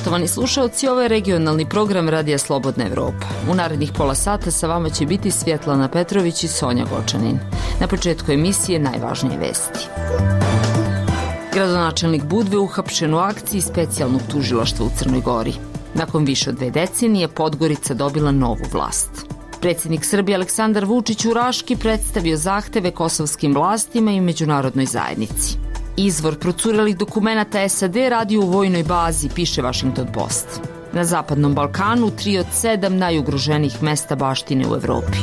Poštovani slušalci, ovo je regionalni program Radija Slobodna Evropa. U narednih pola sata sa vama će biti Svjetlana Petrović i Sonja Gočanin. Na početku emisije najvažnije vesti. Gradonačelnik Budve uhapšen u akciji specijalnog tužilaštva u Crnoj Gori. Nakon više od 2 decenije Podgorica dobila novu vlast. Predsjednik Srbije Aleksandar Vučić u Raški predstavio zahteve kosovskim vlastima i međunarodnoj zajednici. Izvor procurelih dokumenata SAD radi u vojnoj bazi, piše Washington Post. Na Zapadnom Balkanu 3 od 7 najugroženijih mesta baštine u Evropi.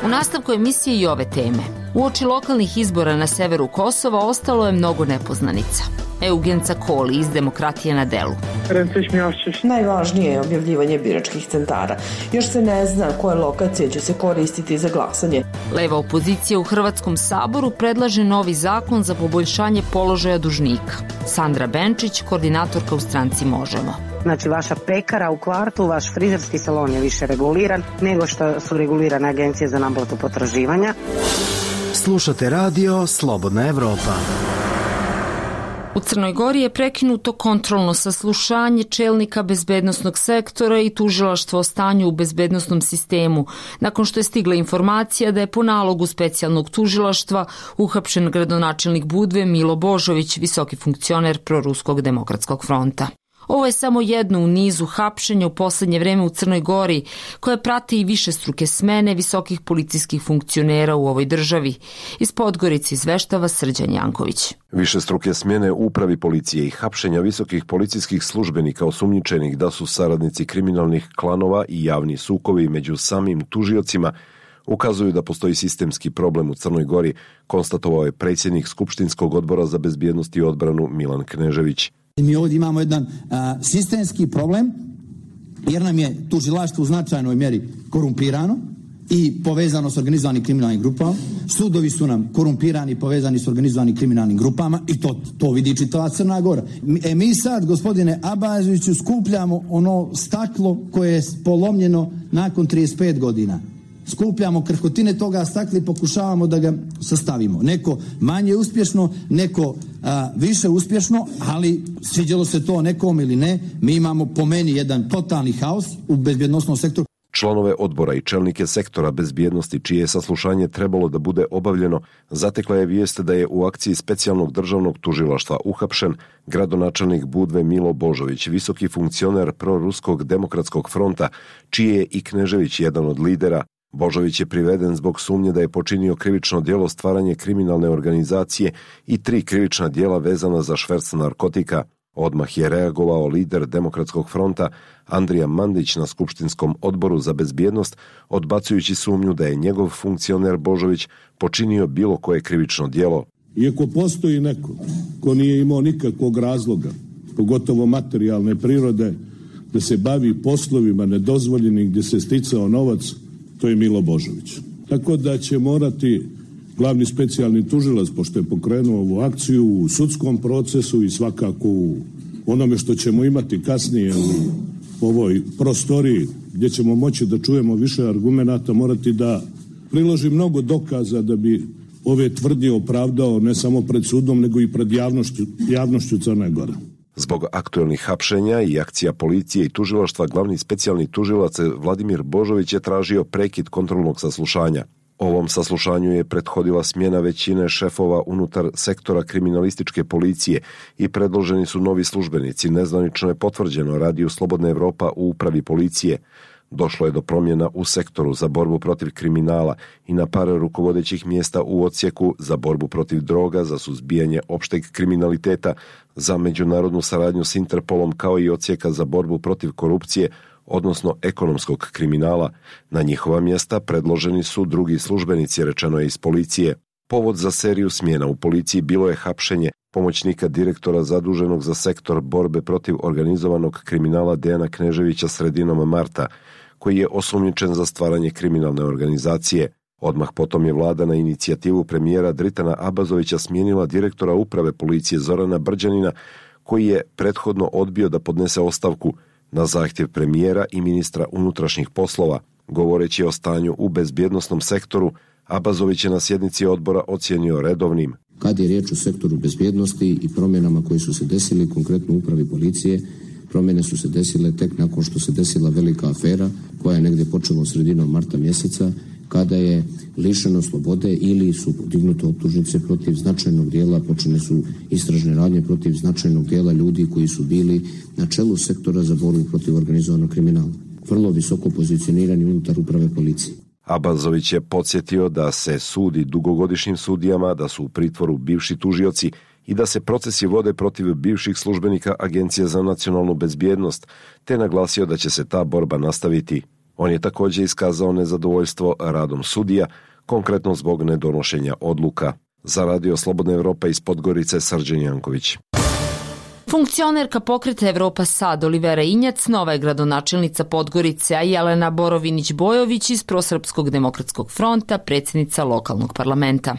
U nastavku emisije i ove teme. Uoči lokalnih izbora na severu Kosova ostalo je mnogo nepoznanica. Eugenca Koli iz Demokratije na delu. Najvažnije je objavljivanje biračkih centara. Još se ne zna koje lokacije će se koristiti za glasanje. Leva opozicija u Hrvatskom saboru predlaže novi zakon za poboljšanje položaja dužnika. Sandra Benčić, koordinatorka u stranci Možemo. Znači, vaša pekara u kvartu, vaš frizerski salon je više reguliran nego što su regulirane agencije za naplatu potraživanja. Slušate radio Slobodna Evropa. U Crnoj Gori je prekinuto kontrolno saslušanje čelnika bezbednosnog sektora i tužilaštva o stanju u bezbednosnom sistemu, nakon što je stigla informacija da je po nalogu specijalnog tužilaštva uhapšen gradonačelnik Budve Milo Božović, visoki funkcioner Proruskog demokratskog fronta. Ovo je samo jedno u nizu hapšenja u posljednje vreme u Crnoj Gori, koje prate i višestruke smene visokih policijskih funkcionera u ovoj državi. Iz Podgorice izveštava Srđan Janković. Višestruke smjene u upravi policije i hapšenja visokih policijskih službenika osumnjičenih da su saradnici kriminalnih klanova i javni sukovi među samim tužiocima ukazuju da postoji sistemski problem u Crnoj Gori, konstatovao je predsjednik Skupštinskog odbora za bezbjednost i odbranu Milan Knežević. Mi ovdje imamo jedan sistemski problem, jer nam je tužilaštvo u značajnoj mjeri korumpirano i povezano s organizovanim kriminalnim grupama. Sudovi su nam korumpirani i povezani s organizovanim kriminalnim grupama i to vidi čitava Crna Gora. Mi sad, gospodine Abazoviću, skupljamo ono staklo koje je polomljeno nakon 35 godina. Skupljamo krhotine toga stakla i pokušavamo da ga sastavimo. Neko manje uspješno, neko više uspješno, ali sviđalo se to nekom ili ne, mi imamo po meni jedan totalni haos u bezbjednosnom sektoru. Članove odbora i čelnike sektora bezbjednosti, čije je saslušanje trebalo da bude obavljeno, zatekla je vijest da je u akciji specijalnog državnog tužilaštva uhapšen gradonačelnik Budve Milo Božović, visoki funkcioner Proruskog demokratskog fronta, čiji je i Knežević jedan od lidera. Božović je priveden zbog sumnje da je počinio krivično djelo stvaranje kriminalne organizacije i 3 krivična djela vezana za šverc narkotika. Odmah je reagovao lider Demokratskog fronta Andrija Mandić na Skupštinskom odboru za bezbjednost, odbacujući sumnju da je njegov funkcioner Božović počinio bilo koje krivično djelo. Iako postoji neko ko nije imao nikakvog razloga, pogotovo materijalne prirode, da se bavi poslovima nedozvoljenih gdje se sticao novac, to je Milo Božović. Tako da će morati glavni specijalni tužilac, pošto je pokrenuo ovu akciju, u sudskom procesu i svakako u onome što ćemo imati kasnije u ovoj prostoriji gdje ćemo moći da čujemo više argumenata, morati da priloži mnogo dokaza da bi ove tvrdnje opravdao ne samo pred sudom nego i pred javnošću Crne Gore. Zbog aktuelnih hapšenja i akcija policije i tužilaštva, glavni specijalni tužilac Vladimir Božović je tražio prekid kontrolnog saslušanja. Ovom saslušanju je prethodila smjena većine šefova unutar sektora kriminalističke policije i predloženi su novi službenici. Nezvanično je potvrđeno Radiju Slobodna Evropa u upravi policije. Došlo je do promjena u sektoru za borbu protiv kriminala i na par rukovodećih mjesta u odsjeku za borbu protiv droga, za suzbijanje opšteg kriminaliteta, za međunarodnu saradnju s Interpolom, kao i odsjeka za borbu protiv korupcije, odnosno ekonomskog kriminala. Na njihova mjesta predloženi su drugi službenici, rečeno je iz policije. Povod za seriju smjena u policiji bilo je hapšenje pomoćnika direktora zaduženog za sektor borbe protiv organizovanog kriminala Dejana Kneževića sredinom marta, koji je osumnjičen za stvaranje kriminalne organizacije. Odmah potom je vlada na inicijativu premijera Dritana Abazovića smijenila direktora uprave policije Zorana Brđanina, koji je prethodno odbio da podnese ostavku na zahtjev premijera i ministra unutrašnjih poslova. Govoreći o stanju u bezbjednosnom sektoru, Abazović je na sjednici odbora ocijenio redovnim. Kad je riječ o sektoru bezbjednosti i promjenama koje su se desile konkretno u upravi policije, promjene su se desile tek nakon što se desila velika afera koja je negdje počela sredinom marta mjeseca, kada je lišeno slobode ili su podignute optužnice protiv značajnog dijela, počene su istražne radnje protiv značajnog dijela ljudi koji su bili na čelu sektora za borbu protiv organizovanog kriminala. Vrlo visoko pozicionirani unutar uprave policije. Abazović je podsjetio da se sudi dugogodišnjim sudijama, da su u pritvoru bivši tužioci i da se procesi vode protiv bivših službenika Agencije za nacionalnu bezbjednost, te naglasio da će se ta borba nastaviti. On je također iskazao nezadovoljstvo radom sudija, konkretno zbog nedonošenja odluka. Za Radio Slobodna Evropa iz Podgorice, Srđan Janković. Funkcionerka pokreta Evropa Sad Olivera Injac, nova je gradonačelnica Podgorice, a Jelena Borovinić-Bojović iz Prosrpskog demokratskog fronta, predsjednica lokalnog parlamenta.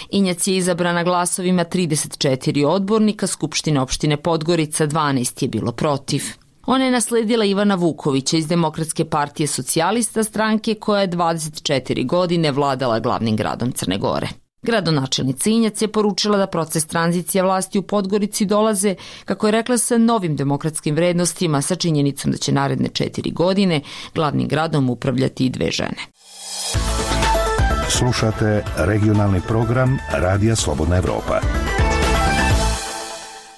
Injac je izabrana glasovima 34 odbornika Skupštine opštine Podgorica, 12 je bilo protiv. Ona je nasledila Ivana Vukovića iz Demokratske partije socijalista, stranke koja je 24 godine vladala glavnim gradom Crne Gore. Gradonačelnica Injac je poručila da proces tranzicije vlasti u Podgorici dolaze, kako je rekla, sa novim demokratskim vrednostima, sa činjenicom da će naredne 4 godine glavnim gradom upravljati i 2 žene. Slušate regionalni program Radija Slobodna Evropa.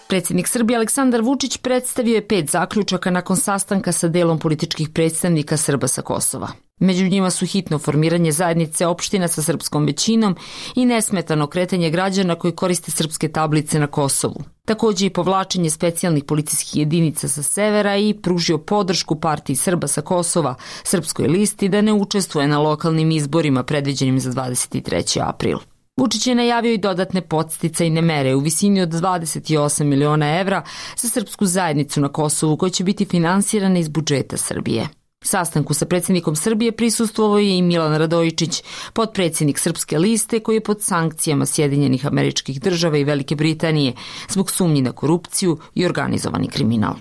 Predsjednik Srbije Aleksandar Vučić predstavio je 5 zaključaka nakon sastanka sa delom političkih predstavnika Srba sa Kosova. Među njima su hitno formiranje zajednice opština sa srpskom većinom i nesmetano kretanje građana koji koriste srpske tablice na Kosovu. Također i povlačenje specijalnih policijskih jedinica sa severa i pružio podršku partiji Srba sa Kosova, Srpskoj listi, da ne učestvuje na lokalnim izborima predviđenim za 23. april. Vučić je najavio i dodatne podsticajne mere u visini od 28 miliona evra za srpsku zajednicu na Kosovu, koja će biti finansirana iz budžeta Srbije. Sastanku sa predsjednikom Srbije prisustvovao je i Milan Radojičić, potpredsjednik Srpske liste, koji je pod sankcijama Sjedinjenih Američkih Država i Velike Britanije zbog sumnji na korupciju i organizovani kriminal.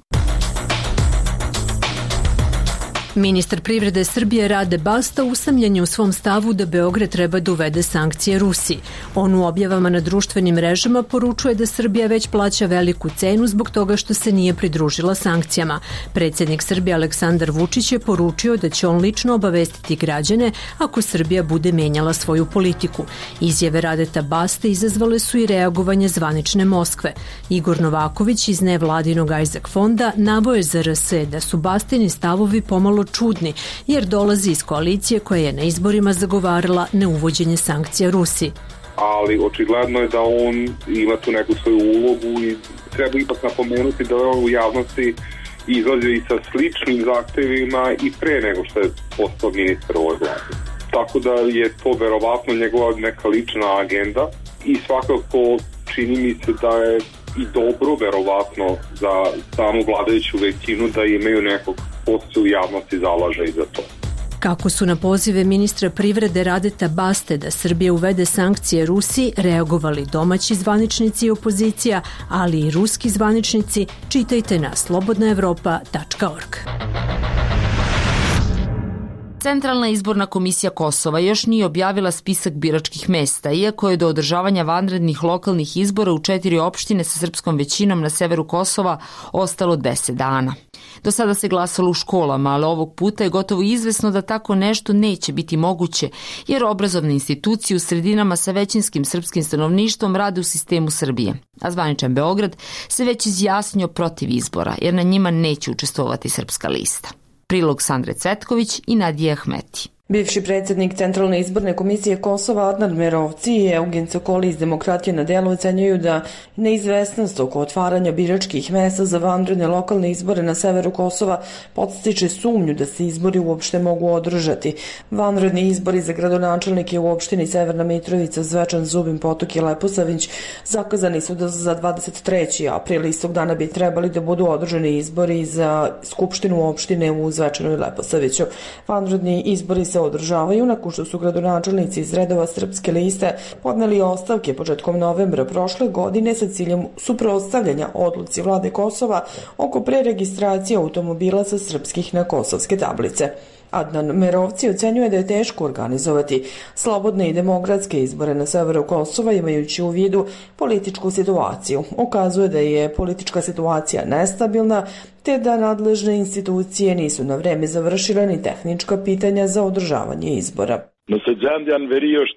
Ministar privrede Srbije Rade Basta usamljen je u svom stavu da Beograd treba da uvede sankcije Rusiji. On u objavama na društvenim mrežama poručuje da Srbija već plaća veliku cenu zbog toga što se nije pridružila sankcijama. Predsjednik Srbije Aleksandar Vučić je poručio da će on lično obavestiti građane ako Srbija bude menjala svoju politiku. Izjave Radeta Baste izazvale su i reagovanje zvanične Moskve. Igor Novaković iz nevladinog Isaac fonda navoje za RS da su Bastini stavovi pomalo čudni, jer dolazi iz koalicije koja je na izborima zagovarala neuvođenje sankcija Rusiji. Ali očigledno je da on ima tu neku svoju ulogu i treba ipak napomenuti da on u javnosti izlazi i sa sličnim zahtevima i pre nego što je postao ministar ovoj vladi. Tako da je to verovatno njegova neka lična agenda i svakako čini mi se da je i dobro verovatno za samu vladajuću većinu da imaju nekog ko se u javnosti zalaže i za to. Kako su na pozive ministra privrede Radeta Baste da Srbija uvede sankcije Rusiji reagovali domaći zvaničnici i opozicija, ali i ruski zvaničnici, čitajte na slobodnaevropa.org. Centralna izborna komisija Kosova još nije objavila spisak biračkih mesta, iako je do održavanja vanrednih lokalnih izbora u 4 opštine sa srpskom većinom na severu Kosova ostalo 10 dana. Do sada se glasalo u školama, ali ovog puta je gotovo izvesno da tako nešto neće biti moguće, jer obrazovne institucije u sredinama sa većinskim srpskim stanovništvom rade u sistemu Srbije. A zvaničan Beograd se već izjasnio protiv izbora, jer na njima neće učestvovati Srpska lista. Prilog Sandre Cvetković i Nadije Ahmeti. Bivši predsjednik Centralne izborne komisije Kosova Adnan Merovci i Eugen Sokoli iz Demokratije na delu ocenjuju da neizvesnost oko otvaranja biračkih mesta za vanredne lokalne izbore na severu Kosova podstiče sumnju da se izbori uopšte mogu održati. Vanredni izbori za gradonačelnike u opštini Severna Mitrovica, Zvečan, Zubin Potok i Leposavić zakazani su za 23. april. Istog dana bi trebali da budu održani izbori za skupštinu opštine u Zvečanu i Leposaviću. Vanredni izbori se održavaju nakon što su gradonačelnici iz redova Srpske liste podneli ostavke početkom novembra prošle godine sa ciljem suprotstavljanja odluci vlade Kosova oko preregistracije automobila sa srpskih na kosovske tablice. Adnan Merovci ocenjuje da je teško organizovati slobodne i demokratske izbore na severu Kosova imajući u vidu političku situaciju. Ukazuje da je politička situacija nestabilna te da nadležne institucije nisu na vreme završile ni tehnička pitanja za održavanje izbora.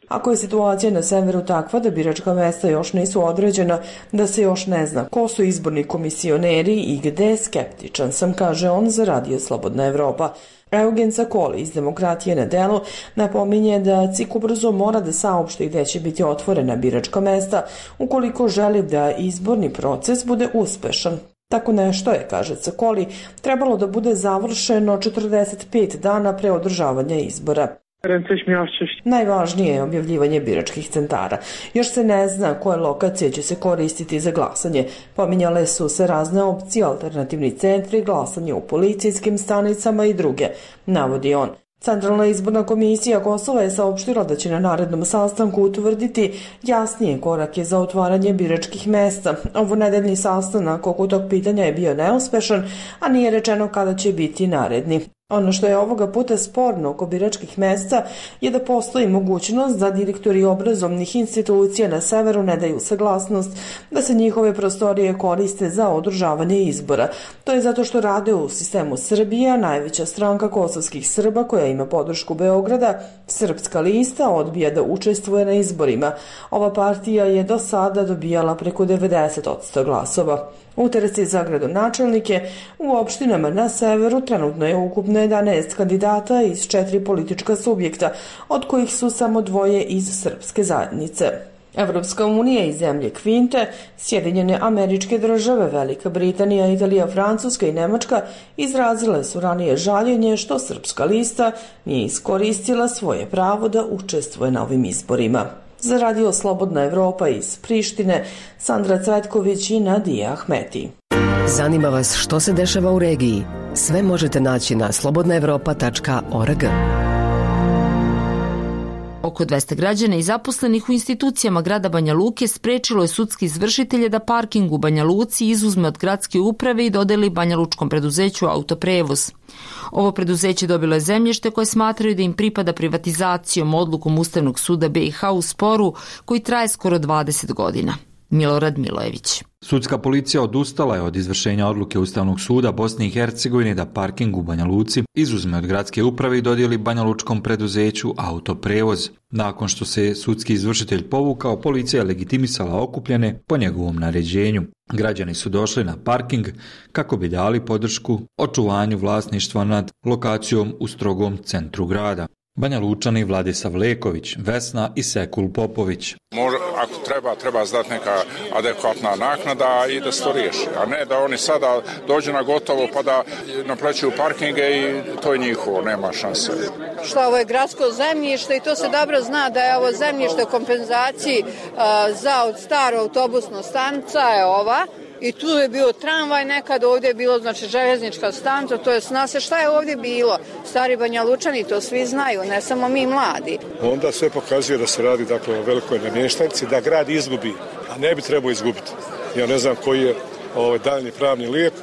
Ako je situacija na severu takva da biračka mesta još nisu određena, da se još ne zna ko su izborni komisioneri i gde, skeptičan sam, kaže on za Radio Slobodna Evropa. Eugen Cakoli iz Demokratije na delu napominje da CIK ubrzo mora da saopšti gde će biti otvorena biračka mesta ukoliko želi da izborni proces bude uspešan. Tako nešto je, kaže Cakoli, trebalo da bude završeno 45 dana pre održavanja izbora. Najvažnije je objavljivanje biračkih centara. Još se ne zna koje lokacije će se koristiti za glasanje. Pominjale su se razne opcije, alternativni centri, glasanje u policijskim stanicama i druge, navodi on. Centralna izborna komisija Kosova je saopštila da će na narednom sastanku utvrditi jasnije korake za otvaranje biračkih mesta. Ovonedeljni sastanak oko tog pitanja je bio neuspešan, a nije rečeno kada će biti naredni. Ono što je ovoga puta sporno oko biračkih mesta je da postoji mogućnost da direktori obrazovnih institucija na severu ne daju saglasnost da se njihove prostorije koriste za održavanje izbora. To je zato što rade u sistemu Srbija, najveća stranka kosovskih Srba koja ima podršku Beograda, Srpska lista, odbija da učestvuje na izborima. Ova partija je do sada dobijala preko 90% glasova. U trci za gradonačelnike u opštinama na severu trenutno je ukupno 11 kandidata iz 4 politička subjekta, od kojih su samo 2 iz srpske zajednice. Evropska unija i zemlje Kvinte, Sjedinjene Američke Države, Velika Britanija, Italija, Francuska i Nemačka izrazile su ranije žaljenje što Srpska lista nije iskoristila svoje pravo da učestvuje na ovim izborima. Za Radio Slobodna Evropa iz Prištine, Sandra Cvetković i Nadija Ahmeti. Zanima vas što se dešava u regiji? Sve možete naći na slobodnaevropa.org. Oko 200 građana i zaposlenih u institucijama grada Banja Luke sprečilo je sudski izvršitelje da parking u Banja Luci izuzme od gradske uprave i dodeli banjalučkom preduzeću Autoprevoz. Ovo preduzeće dobilo je zemljište koje smatraju da im pripada privatizacijom odlukom Ustavnog suda BiH u sporu koji traje skoro 20 godina. Milorad Milojević. Sudska policija odustala je od izvršenja odluke Ustavnog suda Bosne i Hercegovine da parking u Banja Luci izuzme od gradske uprave i dodijeli banjalučkom preduzeću Autoprevoz. Nakon što se sudski izvršitelj povukao, policija je legitimisala okupljene po njegovom naređenju. Građani su došli na parking kako bi dali podršku očuvanju vlasništva nad lokacijom u strogom centru grada. Banja Lučani Vladislav Leković, Vesna i Sekul Popović. Ako treba znati neka adekvatna naknada i da se to riješi, a ne da oni sada dođu na gotovo pa da naplaćuju parkinge i to je njihovo, nema šanse. Što ovo je gradsko zemljište i to se dobro zna da je ovo zemljište u kompenzaciji za od staro autobusno stanica je ova. I tu je bio tramvaj, nekad ovdje je bilo znači željeznička stanica, to je zna se šta je ovdje bilo. Stari Banja Lučani to svi znaju, ne samo mi mladi. Onda sve pokazuje da se radi dakle o velikoj namještanici, da grad izgubi, a ne bi trebao izgubiti. Ja ne znam koji je daljni pravni lijek,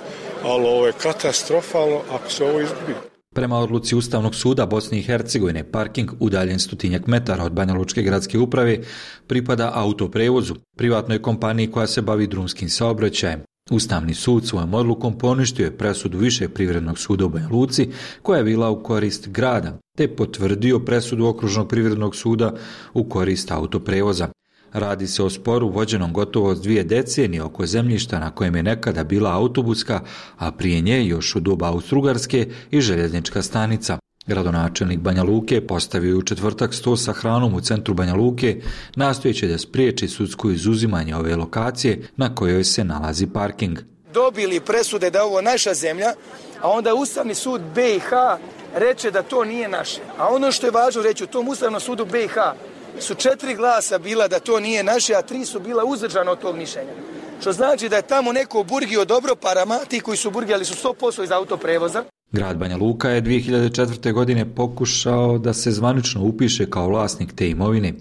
ali ovo je katastrofalno ako se ovo izgubi. Prema odluci Ustavnog suda Bosne i Hercegovine, parking udaljen 100 metara od Banjalučke gradske uprave pripada Autoprevozu, privatnoj kompaniji koja se bavi drumskim saobraćajem. Ustavni sud svojom odlukom poništio je presudu Višeg privrednog suda u Banja Luci koja je bila u korist grada, te potvrdio presudu Okružnog privrednog suda u korist Autoprevoza. Radi se o sporu vođenom gotovo od 2 decenije oko zemljišta na kojem je nekada bila autobuska, a prije nje još u doba Austrougarske i željeznička stanica. Gradonačelnik Banja Luke postavio je u četvrtak sto sa hranom u centru Banja Luke, nastojeći da spriječi sudsko izuzimanje ove lokacije na kojoj se nalazi parking. Dobili presude da je ovo naša zemlja, a onda Ustavni sud BiH reče da to nije naše. A ono što je važno reći, u tom Ustavnom sudu BiH su 4 glasa bila da to nije naše, a 3 su bila uzdržana od tog mišljenja. Što znači da je tamo neko burgio dobro parama, ti koji su burgijali su 100% iz Autoprevoza. Grad Banja Luka je 2004. godine pokušao da se zvanično upiše kao vlasnik te imovine.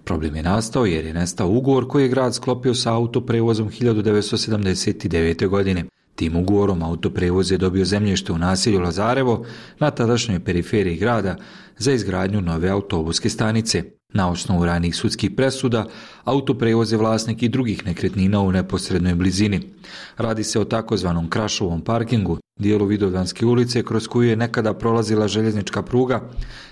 Problem je nastao jer je nestao ugovor koji je grad sklopio sa Autoprevozom 1979. godine. Tim ugovorom Autoprevoz je dobio zemljište u naselju Lazarevo na tadašnjoj periferiji grada za izgradnju nove autobuske stanice. Na osnovu ranijih sudskih presuda, Autoprevoz je vlasnik i drugih nekretnina u neposrednoj blizini. Radi se o takozvanom Krašovom parkingu, dijelu Vidovdanske ulice kroz koju je nekada prolazila željeznička pruga,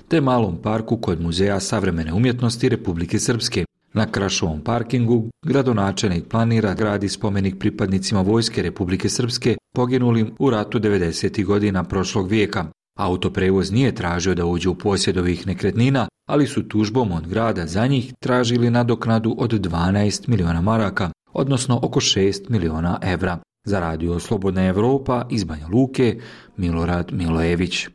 te malom parku kod Muzeja savremene umjetnosti Republike Srpske. Na Krašovom parkingu gradonačelnik planira gradi spomenik pripadnicima Vojske Republike Srpske poginulim u ratu 90. godina prošlog vijeka. Autoprevoz nije tražio da uđe u posjed ovih nekretnina, ali su tužbom od grada za njih tražili nadoknadu od 12 miliona maraka, odnosno oko 6 miliona evra. Za radio Slobodna Evropa iz Banja Luke, Milorad Milojević.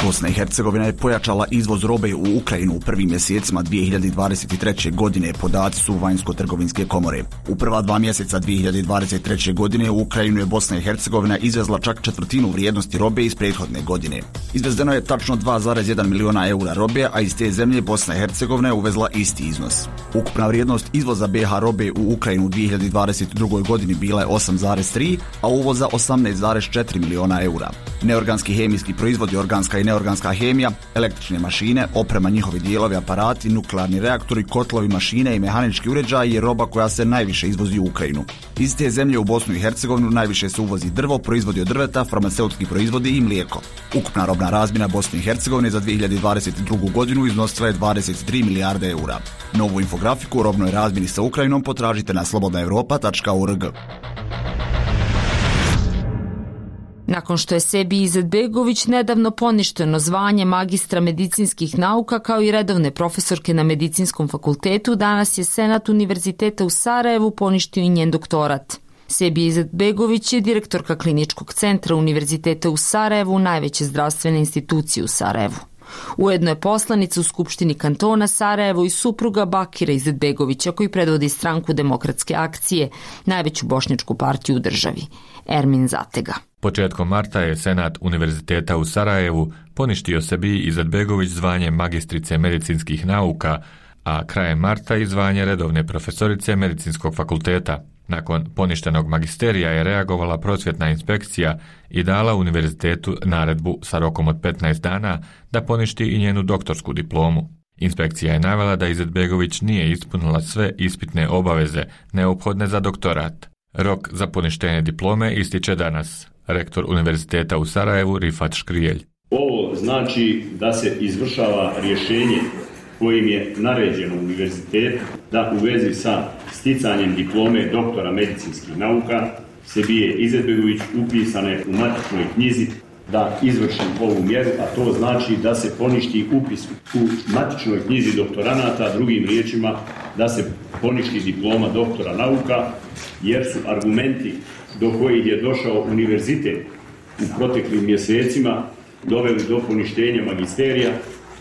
Bosna i Hercegovina je pojačala izvoz robe u Ukrajinu u prvim mjesecima 2023. godine, podaci su Vanjsko-trgovinske komore. U prva 2 mjeseca 2023. godine u Ukrajinu je Bosna i Hercegovina izvezla čak četvrtinu vrijednosti robe iz prethodne godine. Izvezeno je tačno 2,1 miliona eura robe, a iz te zemlje Bosna i Hercegovina je uvezla isti iznos. Ukupna vrijednost izvoza BiH robe u Ukrajinu u 2022. godini bila je 8,3, a uvoza 18,4 miliona eura. Neorganski hemijski proizvodi, organska i neorganska hemija, električne mašine, oprema, njihovi dijelovi, aparati, nuklearni reaktori, kotlovi, mašine i mehanički uređaji je roba koja se najviše izvozi u Ukrajinu. Iz te zemlje u Bosnu i Hercegovinu najviše se uvozi drvo, proizvodi od drveta, farmaceutski proizvodi i mlijeko. Ukupna robna razmjena Bosne i Hercegovine za 2022. godinu iznosila je 23 milijarde eura. Novu infografiku o robnoj razmjeni sa Ukrajinom potražite na slobodnaevropa.org. Nakon što je Sebi Izetbegović nedavno poništeno zvanje magistra medicinskih nauka kao i redovne profesorke na Medicinskom fakultetu, danas je Senat Univerziteta u Sarajevu poništio i njen doktorat. Sebi Izetbegović je direktorka Kliničkog centra Univerziteta u Sarajevu, najveće zdravstvene institucije u Sarajevu. Ujedno je poslanica u Skupštini kantona Sarajevo i supruga Bakira Izetbegovića, koji predvodi Stranku demokratske akcije, najveću bošnjačku partiju u državi. Ermin Zatega. Početkom marta je Senat Univerziteta u Sarajevu poništio Sebi Izetbegović zvanje magistrice medicinskih nauka, a krajem marta i zvanje redovne profesorice Medicinskog fakulteta. Nakon poništenog magisterija je reagovala prosvjetna inspekcija i dala univerzitetu naredbu sa rokom od 15 dana da poništi i njenu doktorsku diplomu. Inspekcija je navela da Izetbegović nije ispunila sve ispitne obaveze neophodne za doktorat. Rok za poništenje diplome ističe danas. Rektor Univerziteta u Sarajevu Rifat Škrijelj. Ovo znači da se izvršava rješenje kojim je naređeno univerzitetu da u vezi sa sticanjem diplome doktora medicinskih nauka Sebije Izetbegović upisane u matičnoj knjizi da izvrši ovu mjeru, a to znači da se poništi upis u matičnoj knjizi doktoranata, drugim riječima da se poništi diploma doktora nauka, jer su argumenti do kojih je došao univerzitet u proteklim mjesecima doveli do poništenja magisterija,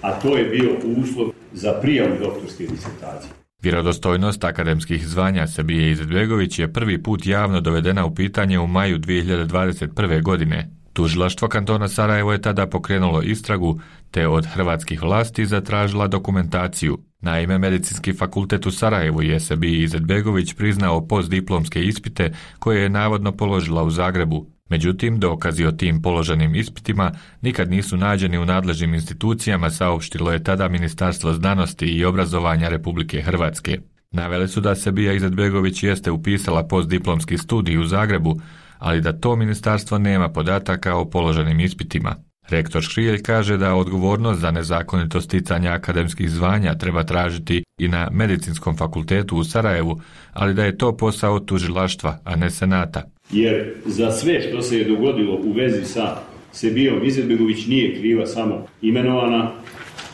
a to je bio uslov za prijavu doktorske disertacije. Vjerodostojnost akademskih zvanja Sebije Izetbegović je prvi put javno dovedena u pitanje u maju 2021. godine. Tužilaštvo kantona Sarajevo je tada pokrenulo istragu te od hrvatskih vlasti zatražila dokumentaciju. Naime, Medicinski fakultet u Sarajevu je Sebiji Izetbegović priznao postdiplomske ispite koje je navodno položila u Zagrebu. Međutim, dokazi o tim položenim ispitima nikad nisu nađeni u nadležnim institucijama, saopštilo je tada Ministarstvo znanosti i obrazovanja Republike Hrvatske. Navele su da Sebija Izetbegović jeste upisala postdiplomski studij u Zagrebu, ali da to ministarstvo nema podataka o položenim ispitima. Rektor Škrijelj kaže da odgovornost za nezakonito sticanje akademskih zvanja treba tražiti i na Medicinskom fakultetu u Sarajevu, ali da je to posao tužilaštva, a ne Senata. Jer za sve što se je dogodilo u vezi sa Sebijom Izetbegović nije kriva samo imenovana,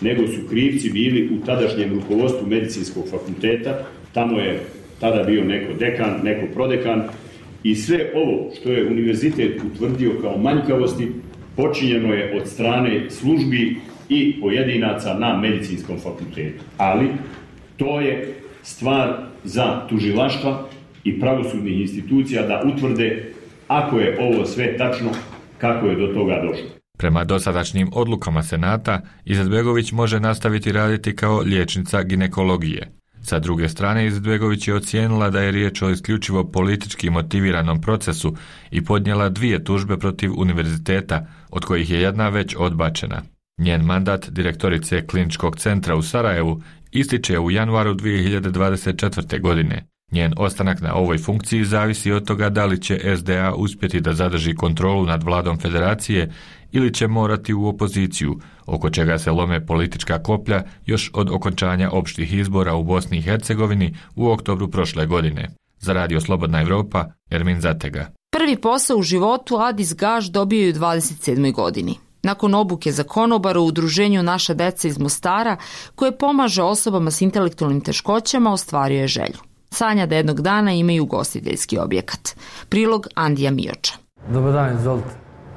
nego su krivci bili u tadašnjem rukovodstvu Medicinskog fakulteta. Tamo je tada bio neko dekan, neko prodekan i sve ovo što je univerzitet utvrdio kao manjkavosti počinjeno je od strane službi i pojedinaca na Medicinskom fakultetu. Ali to je stvar za tužilaštva i pravosudnih institucija da utvrde ako je ovo sve tačno, kako je do toga došlo. Prema dosadašnjim odlukama Senata, Izetbegović može nastaviti raditi kao liječnica ginekologije. Sa druge strane, Izetbegović je ocijenila da je riječ o isključivo politički motiviranom procesu i podnijela 2 tužbe protiv univerziteta, od kojih je jedna već odbačena. Njen mandat direktorice Kliničkog centra u Sarajevu ističe u januaru 2024. godine. Njen ostanak na ovoj funkciji zavisi od toga da li će SDA uspjeti da zadrži kontrolu nad vladom federacije ili će morati u opoziciju, oko čega se lome politička koplja još od okončanja opštih izbora u Bosni i Hercegovini u oktobru prošle godine. Za Radio Slobodna Evropa, Ermin Zatega. Prvi posao u životu Adis Gaš dobio je u 27. godini. Nakon obuke za konobara u udruženju Naša deca iz Mostara, koje pomaže osobama s intelektualnim teškoćama, ostvario je želju. Sanja da jednog dana imaju ugostiteljski objekat. Prilog Andija Mioča. Dobar dan, izvolite.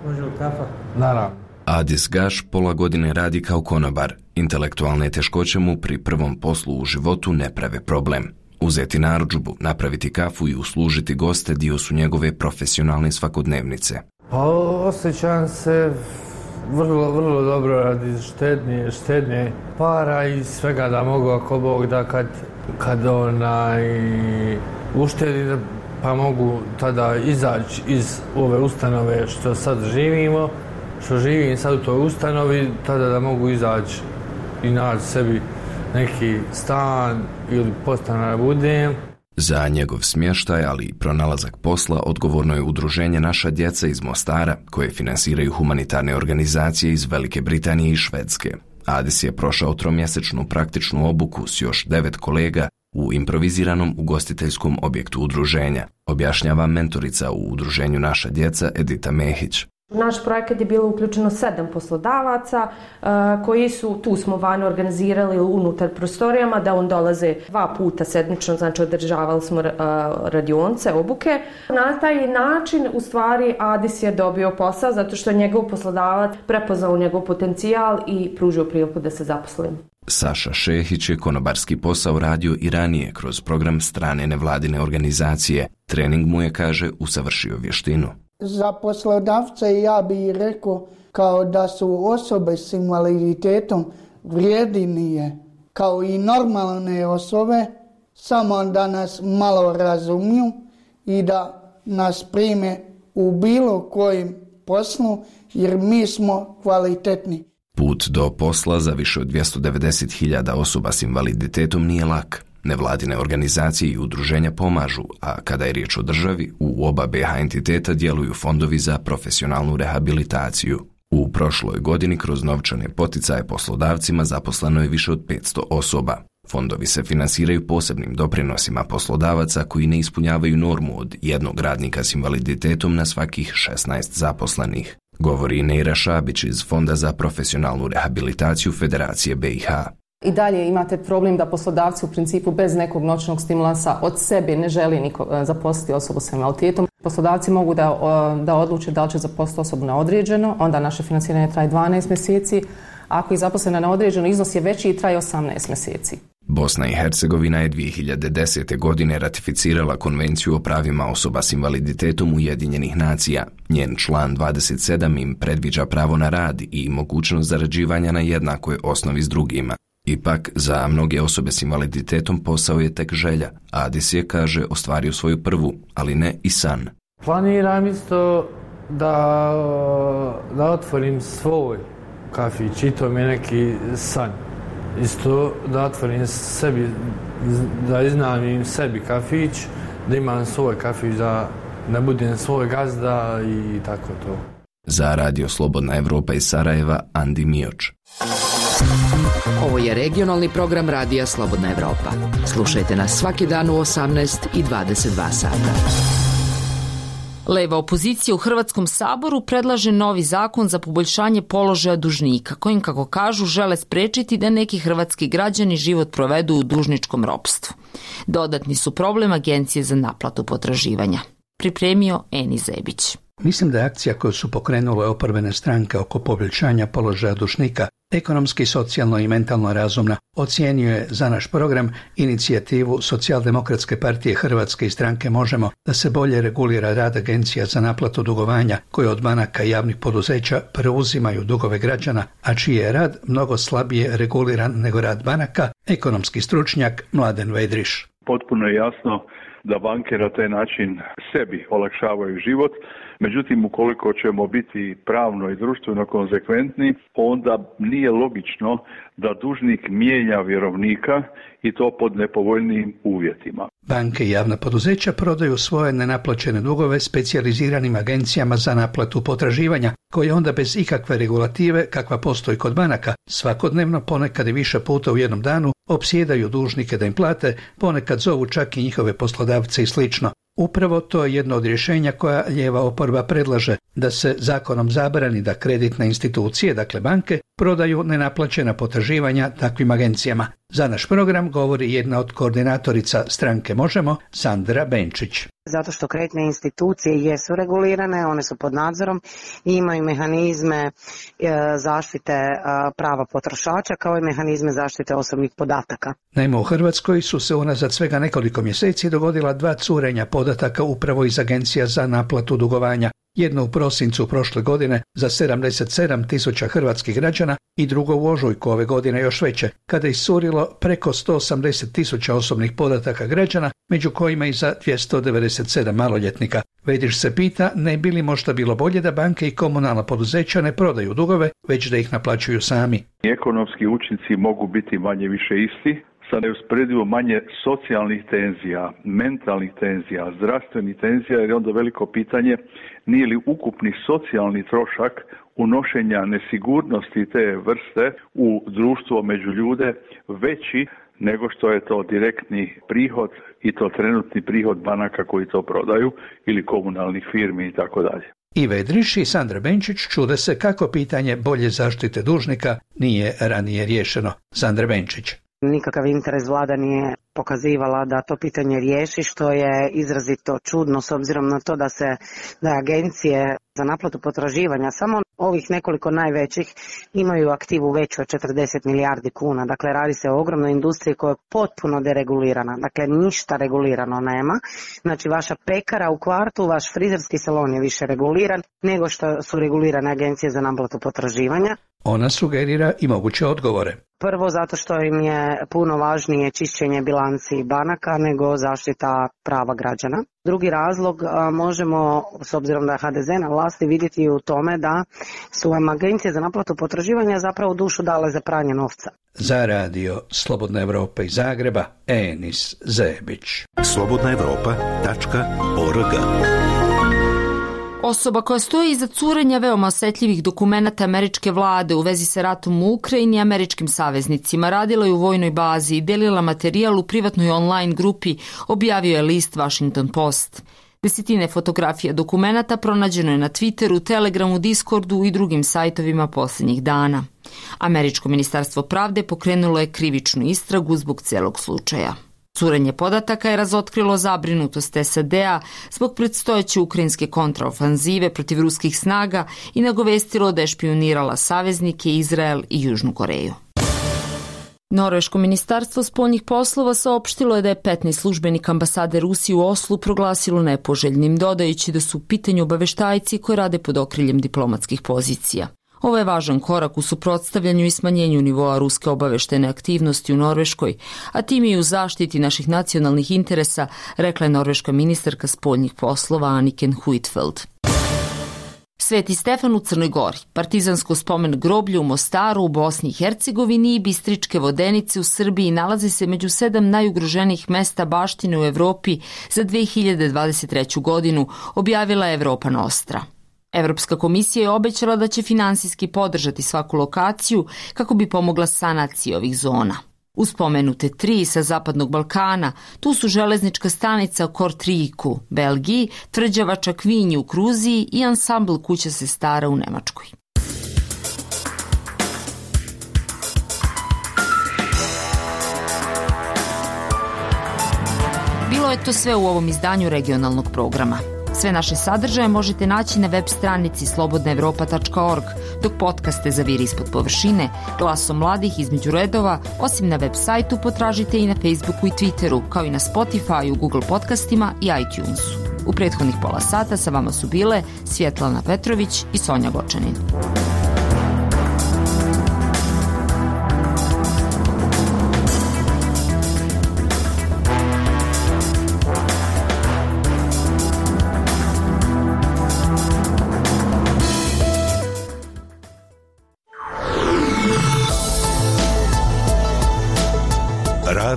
Može li kafa? Naravno. Adis Gaš pola godine radi kao konobar. Intelektualne teškoće mu pri prvom poslu u životu ne prave problem. Uzeti narudžbu, napraviti kafu i uslužiti goste dio su njegove profesionalne svakodnevnice. Pa osjećam se vrlo dobro radi štednje para i svega da mogu ako Bog da kad uštedi pa mogu tada izaći iz ove ustanove što sad živimo, što živim sad u toj ustanovi, tada da mogu izaći i naći sebi neki stan ili podstanar budem. Za njegov smještaj, ali i pronalazak posla, odgovorno je udruženje Naša djeca iz Mostara, koje finansiraju humanitarne organizacije iz Velike Britanije i Švedske. Adis je prošao 3-mjesečnu praktičnu obuku s još 9 kolega u improviziranom ugostiteljskom objektu udruženja, objašnjava mentorica u udruženju Naša djeca Edita Mehić. U naš projekat je bilo uključeno 7 poslodavaca koji su, tu smo vani organizirali unutar prostorijama da on dolaze 2 puta sedmično, znači održavali smo radionice, obuke. Na taj način u stvari Adis je dobio posao zato što je njegov poslodavac prepoznao njegov potencijal i pružio priliku da se zaposli. Saša Šehić je konobarski posao radio i ranije kroz program strane nevladine organizacije. Trening mu je, kaže, usavršio vještinu. Za poslodavce ja bih rekao kao da su osobe s invaliditetom vrijednije kao i normalne osobe, samo da nas malo razumiju i da nas prime u bilo kojem poslu jer mi smo kvalitetni. Put do posla za više od 290.000 osoba s invaliditetom nije lak. Nevladine organizacije i udruženja pomažu, a kada je riječ o državi, u oba BiH entiteta djeluju fondovi za profesionalnu rehabilitaciju. U prošloj godini kroz novčane poticaje poslodavcima zaposleno je više od 500 osoba. Fondovi se finansiraju posebnim doprinosima poslodavaca koji ne ispunjavaju normu od 1 radnika s invaliditetom na svakih 16 zaposlenih, govori Neira Šabić iz Fonda za profesionalnu rehabilitaciju Federacije BiH. I dalje imate problem da poslodavci u principu bez nekog noćnog stimulansa od sebe ne želi niko zaposliti osobu s invaliditetom. Poslodavci mogu da odluče da li će zaposliti osobu na određeno, onda naše financiranje traje 12 mjeseci. Ako je zaposlena na određeno, iznos je veći i traje 18 mjeseci. Bosna i Hercegovina je 2010. godine ratificirala Konvenciju o pravima osoba s invaliditetom Ujedinjenih nacija. Njen član 27 im predviđa pravo na rad i mogućnost zarađivanja na jednakoj osnovi s drugima. Ipak, za mnoge osobe s invaliditetom posao je tek želja. Adis je, kaže, ostvario svoju prvu, ali ne i san. Planiram isto da otvorim svoj kafić i to mi je neki san. Isto da otvorim sebi, da iznajmim sebi kafić, da imam svoj kafić, da ne budem svoj gazda i tako to. Za Radio Slobodna Evropa iz Sarajeva, Andi Mioč. Ovo je regionalni program Radija Slobodna Evropa. Slušajte nas svaki dan u 18 i 22 sata. Leva opozicija u Hrvatskom saboru predlaže novi zakon za poboljšanje položaja dužnika, kojim, kako kažu, žele spriječiti da neki hrvatski građani život provedu u dužničkom ropstvu. Dodatni su problem Agencije za naplatu potraživanja. Pripremio Eni Zebić. Mislim da je akcija koju su pokrenule oporbene stranke oko poboljšanja položaja dužnika ekonomski, socijalno i mentalno razumna. Ocijenio je za naš program inicijativu Socijaldemokratske partije Hrvatske i stranke Možemo da se bolje regulira rad agencija za naplatu dugovanja koje od banaka i javnih poduzeća preuzimaju dugove građana, a čiji je rad mnogo slabije reguliran nego rad banaka, ekonomski stručnjak Mladen Vedriš. Potpuno je jasno da banke na taj način sebi olakšavaju život, međutim ukoliko ćemo biti pravno i društveno konzekventni, onda nije logično da dužnik mijenja vjerovnika i to pod nepovoljnijim uvjetima. Banke i javna poduzeća prodaju svoje nenaplaćene dugove specijaliziranim agencijama za naplatu potraživanja, koje onda bez ikakve regulative, kakva postoji kod banaka, svakodnevno, ponekad i više puta u jednom danu, opsjedaju dužnike da im plate, ponekad zovu čak i njihove poslodavce i slično. Upravo to je jedno od rješenja koja lijeva oporba predlaže, da se zakonom zabrani da kreditne institucije, dakle banke, prodaju nenaplaćena potraživanja takvim agencijama. Za naš program govori jedna od koordinatorica stranke Možemo, Sandra Benčić. Zato što kreditne institucije jesu regulirane, one su pod nadzorom i imaju mehanizme zaštite prava potrošača kao i mehanizme zaštite osobnih podataka. Naime, u Hrvatskoj su se unazad svega nekoliko mjeseci dogodila 2 curenja podataka upravo iz agencija za naplatu dugovanja. Jedno u prosincu prošle godine za 77.000 hrvatskih građana i drugo u ožujku ove godine još veće, kada je iscurilo preko 180.000 osobnih podataka građana, među kojima i za 297 maloljetnika. Vediš se pita, ne bi li možda bilo bolje da banke i komunalna poduzeća ne prodaju dugove, već da ih naplaćuju sami. Ekonomski učinci mogu biti manje više isti, sa neusporedivo manje socijalnih tenzija, mentalnih tenzija, zdravstvenih tenzija, jer je onda veliko pitanje nije li ukupni socijalni trošak unošenja nesigurnosti te vrste u društvo među ljude veći nego što je to direktni prihod i to trenutni prihod banaka koji to prodaju ili komunalnih firmi i tako dalje. I Vedriš i Sandra Benčić čude se kako pitanje bolje zaštite dužnika nije ranije riješeno. Sandra Benčić. Nikakav interes vlada nije pokazivala da to pitanje riješi, što je izrazito čudno s obzirom na to da agencije za naplatu potraživanja, samo ovih nekoliko najvećih, imaju aktivu veću od 40 milijardi kuna. Dakle, radi se o ogromnoj industriji koja je potpuno deregulirana. Dakle, ništa regulirano nema. Znači, vaša pekara u kvartu, vaš frizerski salon je više reguliran nego što su regulirane agencije za naplatu potraživanja. Ona sugerira i moguće odgovore. Prvo, zato što im je puno važnije čišćenje bilanci banaka nego zaštita prava građana. Drugi razlog možemo, s obzirom da je HDZ na vlasti, vidjeti u tome da su vam agencije za naplatu potraživanja zapravo dušu dale za pranje novca. Za radio Slobodna Evropa iz Zagreba, Enis Zebić. slobodnaevropa.org. Osoba koja stoji iza curenja veoma osjetljivih dokumenata američke vlade u vezi sa ratom u Ukrajini i američkim saveznicima radila je u vojnoj bazi i delila materijal u privatnoj online grupi, objavio je list Washington Post. Desetine fotografija dokumenata pronađeno je na Twitteru, Telegramu, Discordu i drugim sajtovima posljednjih dana. Američko ministarstvo pravde pokrenulo je krivičnu istragu zbog celog slučaja. Curenje podataka je razotkrilo zabrinutost SAD-a zbog predstojeće ukrajinske kontraofanzive protiv ruskih snaga i nagovestilo da je špijunirala saveznike Izrael i Južnu Koreju. Norveško ministarstvo spoljnih poslova saopštilo je da je 15 službenika ambasade Rusije u Oslu proglasilo nepoželjnim, dodajući da su u pitanju obaveštajci koji rade pod okriljem diplomatskih pozicija. Ovo je važan korak u suprotstavljanju i smanjenju nivoa ruske obaveštene aktivnosti u Norveškoj, a tim i u zaštiti naših nacionalnih interesa, rekla je norveška ministarka spoljnih poslova Anniken Huitfeldt. Sveti Stefan u Crnoj Gori, partizansko spomen groblje u Mostaru u Bosni i Hercegovini i Bistričke vodenice u Srbiji nalaze se među 7 najugroženijih mesta baštine u Evropi za 2023. godinu, objavila je Europa Nostra. Evropska komisija je obećala da će finansijski podržati svaku lokaciju kako bi pomogla sanaciji ovih zona. Uz spomenute 3 sa Zapadnog Balkana, tu su železnička stanica u Kortriku, Belgiji, tvrđava Čakvinji u Kruziji i ansambl Kuća sestara u Nemačkoj. Bilo je to sve u ovom izdanju regionalnog programa. Sve naše sadržaje možete naći na web stranici slobodnaevropa.org. dok podcaste za Vir ispod površine, Glasom mladih između redova, osim na web sajtu potražite i na Facebooku i Twitteru, kao i na Spotify, Google podcastima i iTunesu. U prethodnih pola sata sa vama su bile Svjetlana Petrović i Sonja Gočanin.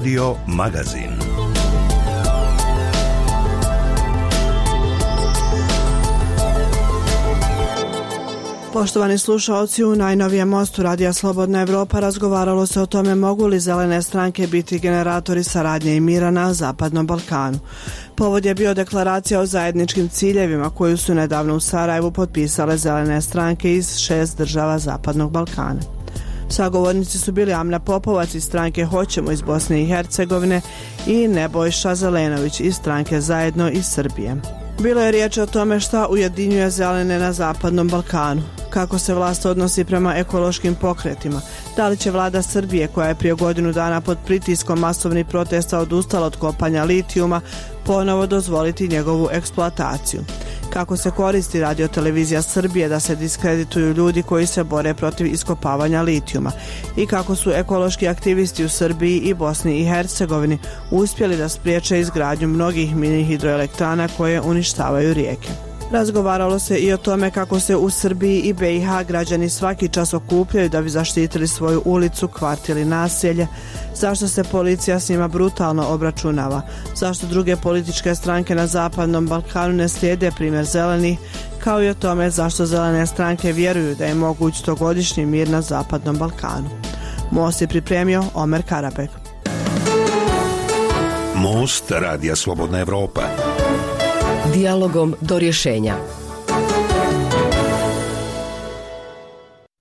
Radio Magazin. Poštovani slušalci, u najnovijem mostu Radija Slobodna Evropa razgovaralo se o tome mogu li zelene stranke biti generatori saradnje i mira na Zapadnom Balkanu. Povod je bio deklaracija o zajedničkim ciljevima koju su nedavno u Sarajevu potpisale zelene stranke iz 6 država Zapadnog Balkana. Sagovornici su bili Amna Popovac iz stranke Hoćemo iz Bosne i Hercegovine i Nebojša Zelenović iz stranke Zajedno iz Srbije. Bilo je riječ o tome šta ujedinjuje zelene na Zapadnom Balkanu, kako se vlast odnosi prema ekološkim pokretima, da li će vlada Srbije, koja je prije godinu dana pod pritiskom masovnih protesta odustala od kopanja litijuma, ponovo dozvoliti njegovu eksploataciju. Kako se koristi radiotelevizija Srbije da se diskredituju ljudi koji se bore protiv iskopavanja litijuma i kako su ekološki aktivisti u Srbiji i Bosni i Hercegovini uspjeli da spriječe izgradnju mnogih mini hidroelektrana koje uništavaju rijeke. Razgovaralo se i o tome kako se u Srbiji i BiH građani svaki čas okupljaju da bi zaštitili svoju ulicu, kvart ili naselje, zašto se policija s njima brutalno obračunava, zašto druge političke stranke na Zapadnom Balkanu ne slijede primjer zelenih, kao i o tome zašto zelene stranke vjeruju da je moguć 100-godišnji mir na Zapadnom Balkanu. Most je pripremio Omer Karabek. Most Radija Slobodna Evropa. Dijalogom do rješenja.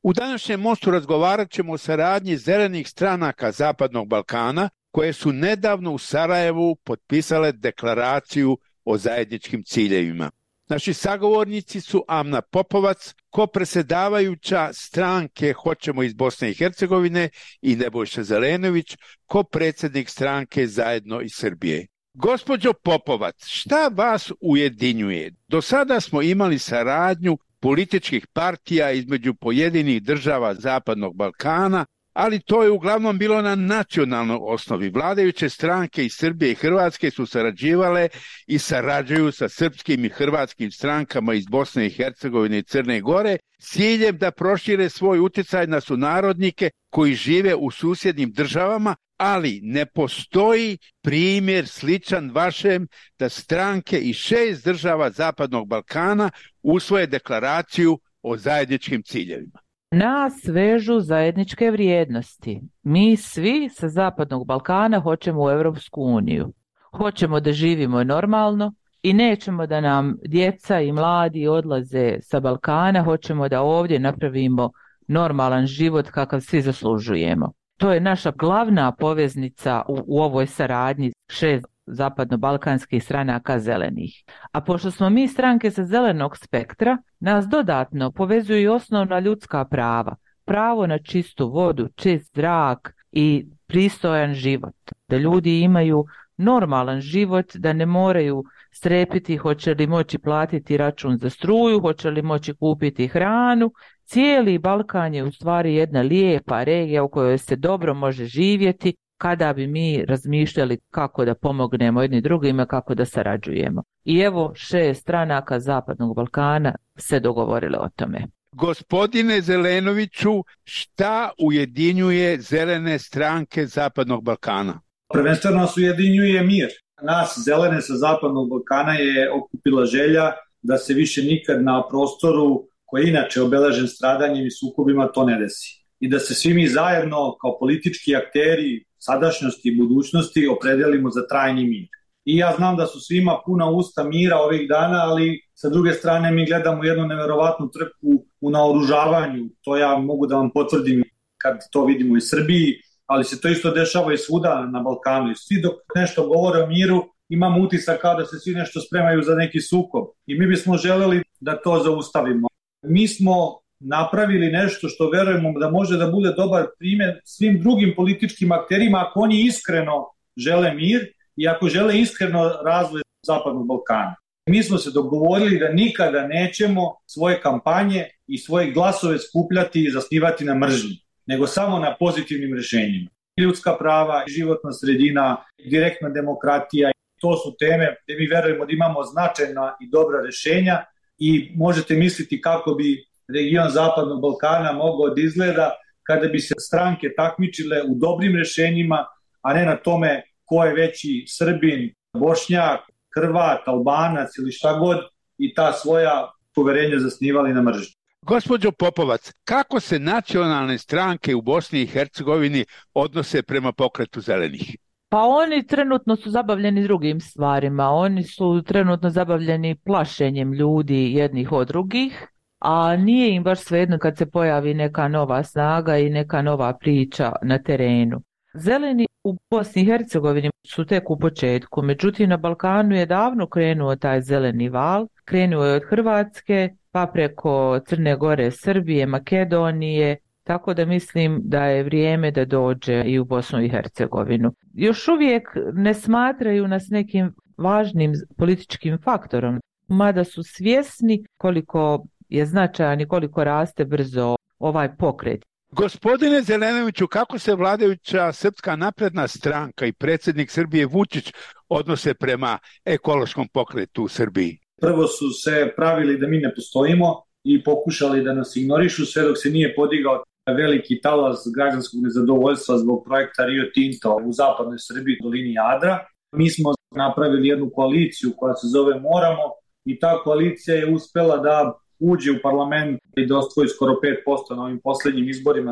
U današnjem mostu razgovarat ćemo o saradnji zelenih stranaka Zapadnog Balkana koje su nedavno u Sarajevu potpisale deklaraciju o zajedničkim ciljevima. Naši sagovornici su Amna Popovac, kopredsjedavajuća stranke Hoćemo iz Bosne i Hercegovine, i Nebojša Zelenović, kopredsjednik stranke Zajedno iz Srbije. Gospođo Popovac, šta vas ujedinjuje? Do sada smo imali saradnju političkih partija između pojedinih država Zapadnog Balkana, ali to je uglavnom bilo na nacionalnoj osnovi. Vladajuće stranke iz Srbije i Hrvatske su sarađivale i sarađuju sa srpskim i hrvatskim strankama iz Bosne i Hercegovine i Crne Gore s ciljem da prošire svoj utjecaj na sunarodnike koji žive u susjednim državama, ali ne postoji primjer sličan vašem da stranke iz 6 država Zapadnog Balkana usvoje deklaraciju o zajedničkim ciljevima. Nas vežu zajedničke vrijednosti. Mi svi sa Zapadnog Balkana hoćemo u Europsku uniju. Hoćemo da živimo normalno i nećemo da nam djeca i mladi odlaze sa Balkana. Hoćemo da ovdje napravimo normalan život kakav svi zaslužujemo. To je naša glavna poveznica u ovoj saradnji 6 zapadno-balkanskih stranaka zelenih. A pošto smo mi stranke sa zelenog spektra, nas dodatno povezuju i osnovna ljudska prava. Pravo na čistu vodu, čist zrak i pristojan život. Da ljudi imaju normalan život, da ne moraju strepiti hoće li moći platiti račun za struju, hoće li moći kupiti hranu. Cijeli Balkan je u stvari jedna lijepa regija u kojoj se dobro može živjeti kada bi mi razmišljali kako da pomognemo jedni drugima, kako da sarađujemo. I evo 6 stranaka Zapadnog Balkana se dogovorile o tome. Gospodine Zelenoviću, šta ujedinjuje zelene stranke Zapadnog Balkana? Prvenstveno nas ujedinjuje mir. Nas zelene sa Zapadnog Balkana je okupila želja da se više nikad na prostoru koji je inače obeležen stradanjem i sukobima to ne desi. I da se svi mi zajedno kao politički akteri sadašnjosti i budućnosti opredelimo za trajni mir. I ja znam da su svima puna usta mira ovih dana, ali sa druge strane mi gledamo jednu neverovatnu trku u naoružavanju. To ja mogu da vam potvrdim kad to vidimo i Srbiji, ali se to isto dešava i svuda na Balkanu. I svi dok nešto govore o miru, imamo utisak kao da se svi nešto spremaju za neki sukob. I mi bismo želeli da to zaustavimo. Mi smo napravili nešto što verujemo da može da bude dobar primjer svim drugim političkim akterima ako oni iskreno žele mir i ako žele iskreno razvoj Zapadnog Balkana. Mi smo se dogovorili da nikada nećemo svoje kampanje i svoje glasove skupljati i zasnivati na mržnji, nego samo na pozitivnim rješenjima. Ljudska prava, životna sredina, direktna demokratija, to su teme gdje mi verujemo da imamo značajna i dobra rješenja i možete misliti kako bi region Zapadnog Balkana mogao da izgleda kada bi se stranke takmičile u dobrim rješenjima, a ne na tome ko je veći Srbin, Bošnjak, Hrvat, Albanac ili šta god i ta svoja poverenja zasnivali na mržnji. Gospođo Popovac, kako se nacionalne stranke u Bosni i Hercegovini odnose prema pokretu zelenih? Pa oni trenutno su zabavljeni drugim stvarima. Oni su trenutno zabavljeni plašenjem ljudi jednih od drugih, a nije im baš svejedno kad se pojavi neka nova snaga i neka nova priča na terenu. Zeleni u Bosni i Hercegovini su tek u početku, međutim na Balkanu je davno krenuo taj zeleni val, krenuo je od Hrvatske, pa preko Crne Gore, Srbije, Makedonije, tako da mislim da je vrijeme da dođe i u Bosnu i Hercegovinu. Još uvijek ne smatraju nas nekim važnim političkim faktorom, mada su svjesni koliko je značajan i koliko raste brzo ovaj pokret. Gospodine Zelenoviću, kako se vladajuća Srpska napredna stranka i predsjednik Srbije Vučić odnose prema ekološkom pokretu u Srbiji? Prvo su se pravili da mi ne postojimo i pokušali da nas ignorišu sve dok se nije podigao veliki talas građanskog nezadovoljstva zbog projekta Rio Tinto u zapadnoj Srbiji, dolini Jadra. Mi smo napravili jednu koaliciju koja se zove Moramo i ta koalicija je uspela da uđe u parlament i da osvoji skoro 5% na ovim posljednjim izborima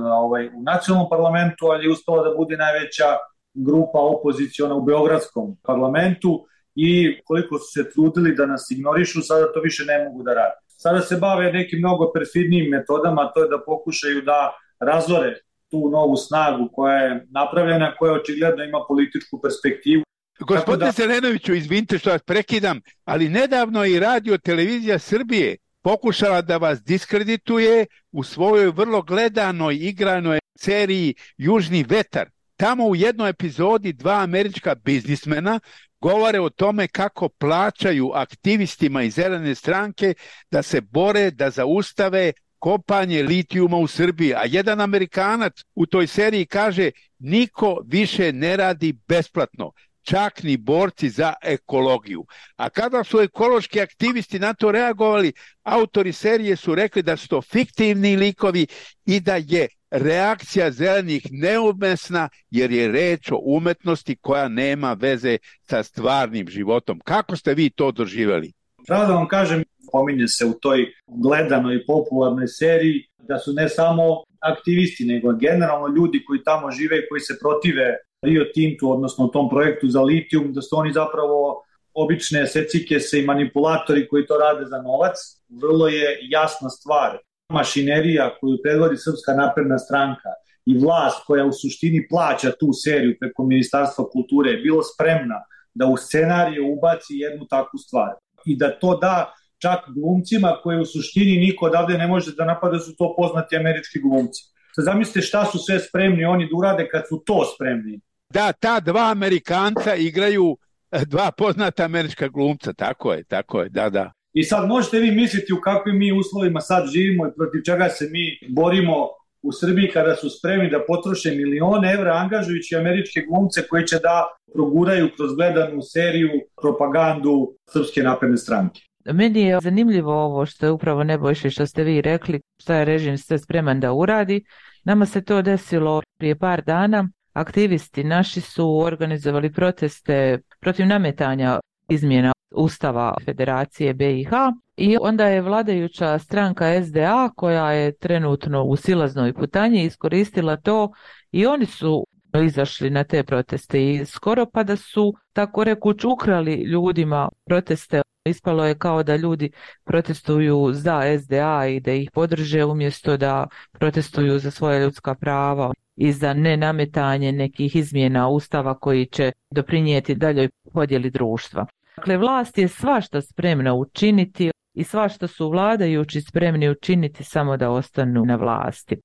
u nacionalnom parlamentu, ali je uspela da bude najveća grupa opoziciona u beogradskom parlamentu i koliko su se trudili da nas ignorišu, sada to više ne mogu da rade. Sada se bave nekim mnogo perfidnijim metodama, to je da pokušaju da razore tu novu snagu koja je napravljena, koja očigledno ima političku perspektivu. Gospodine Zelenoviću, izvinite što vas prekidam, ali nedavno i Radio Televizija Srbije pokušala da vas diskredituje u svojoj vrlo gledanoj igranoj seriji Južni vetar. Tamo u jednoj epizodi dva američka biznismena govore o tome kako plaćaju aktivistima iz zelene stranke da se bore da zaustave kopanje litijuma u Srbiji. A jedan Amerikanac u toj seriji kaže: niko više ne radi besplatno, čak ni borci za ekologiju. A kada su ekološki aktivisti na to reagovali, autori serije su rekli da su to fiktivni likovi i da je reakcija zelenih neumesna jer je reč o umetnosti koja nema veze sa stvarnim životom. Kako ste vi to doživjeli? Pravo da vam kažem, pominje se u toj gledanoj i popularnoj seriji da su ne samo aktivisti, nego generalno ljudi koji tamo žive i koji se protive Rio Tintu, odnosno tom projektu za litijum, da su oni zapravo obične secikese i manipulatori koji to rade za novac. Vrlo je jasna stvar. Mašinerija koju predvodi Srpska napredna stranka i vlast koja u suštini plaća tu seriju preko Ministarstva kulture je bilo spremna da u scenariju ubaci jednu takvu stvar. I da to da čak glumcima koje u suštini niko odavde ne može da napada, su to poznati američki glumci. Sad zamislite šta su sve spremni oni da urade kad su to spremni. Da, ta dva Amerikanca igraju dva poznata američka glumca, tako je, da. I sad možete vi misliti u kakvim mi uslovima sad živimo i protiv čega se mi borimo u Srbiji kada su spremni da potroše milione evra angažujući američke glumce koji će da proguraju kroz gledanu seriju propagandu Srpske napredne stranke. Meni je zanimljivo ovo što je upravo Nebojša što ste vi rekli, šta je režim sve spreman da uradi. Nama se to desilo prije par dana. Aktivisti naši su organizovali proteste protiv nametanja izmjena Ustava Federacije BiH i onda je vladajuća stranka SDA koja je trenutno u silaznoj putanji iskoristila to i oni su izašli na te proteste i skoro pa da su tako rekuć ukrali ljudima proteste. Ispalo je kao da ljudi protestuju za SDA i da ih podrže umjesto da protestuju za svoja ljudska prava i za nenametanje nekih izmjena Ustava koji će doprinijeti daljoj podjeli društva. Dakle, vlast je svašta spremna učiniti i svašta su vladajući spremni učiniti samo da ostanu na vlasti.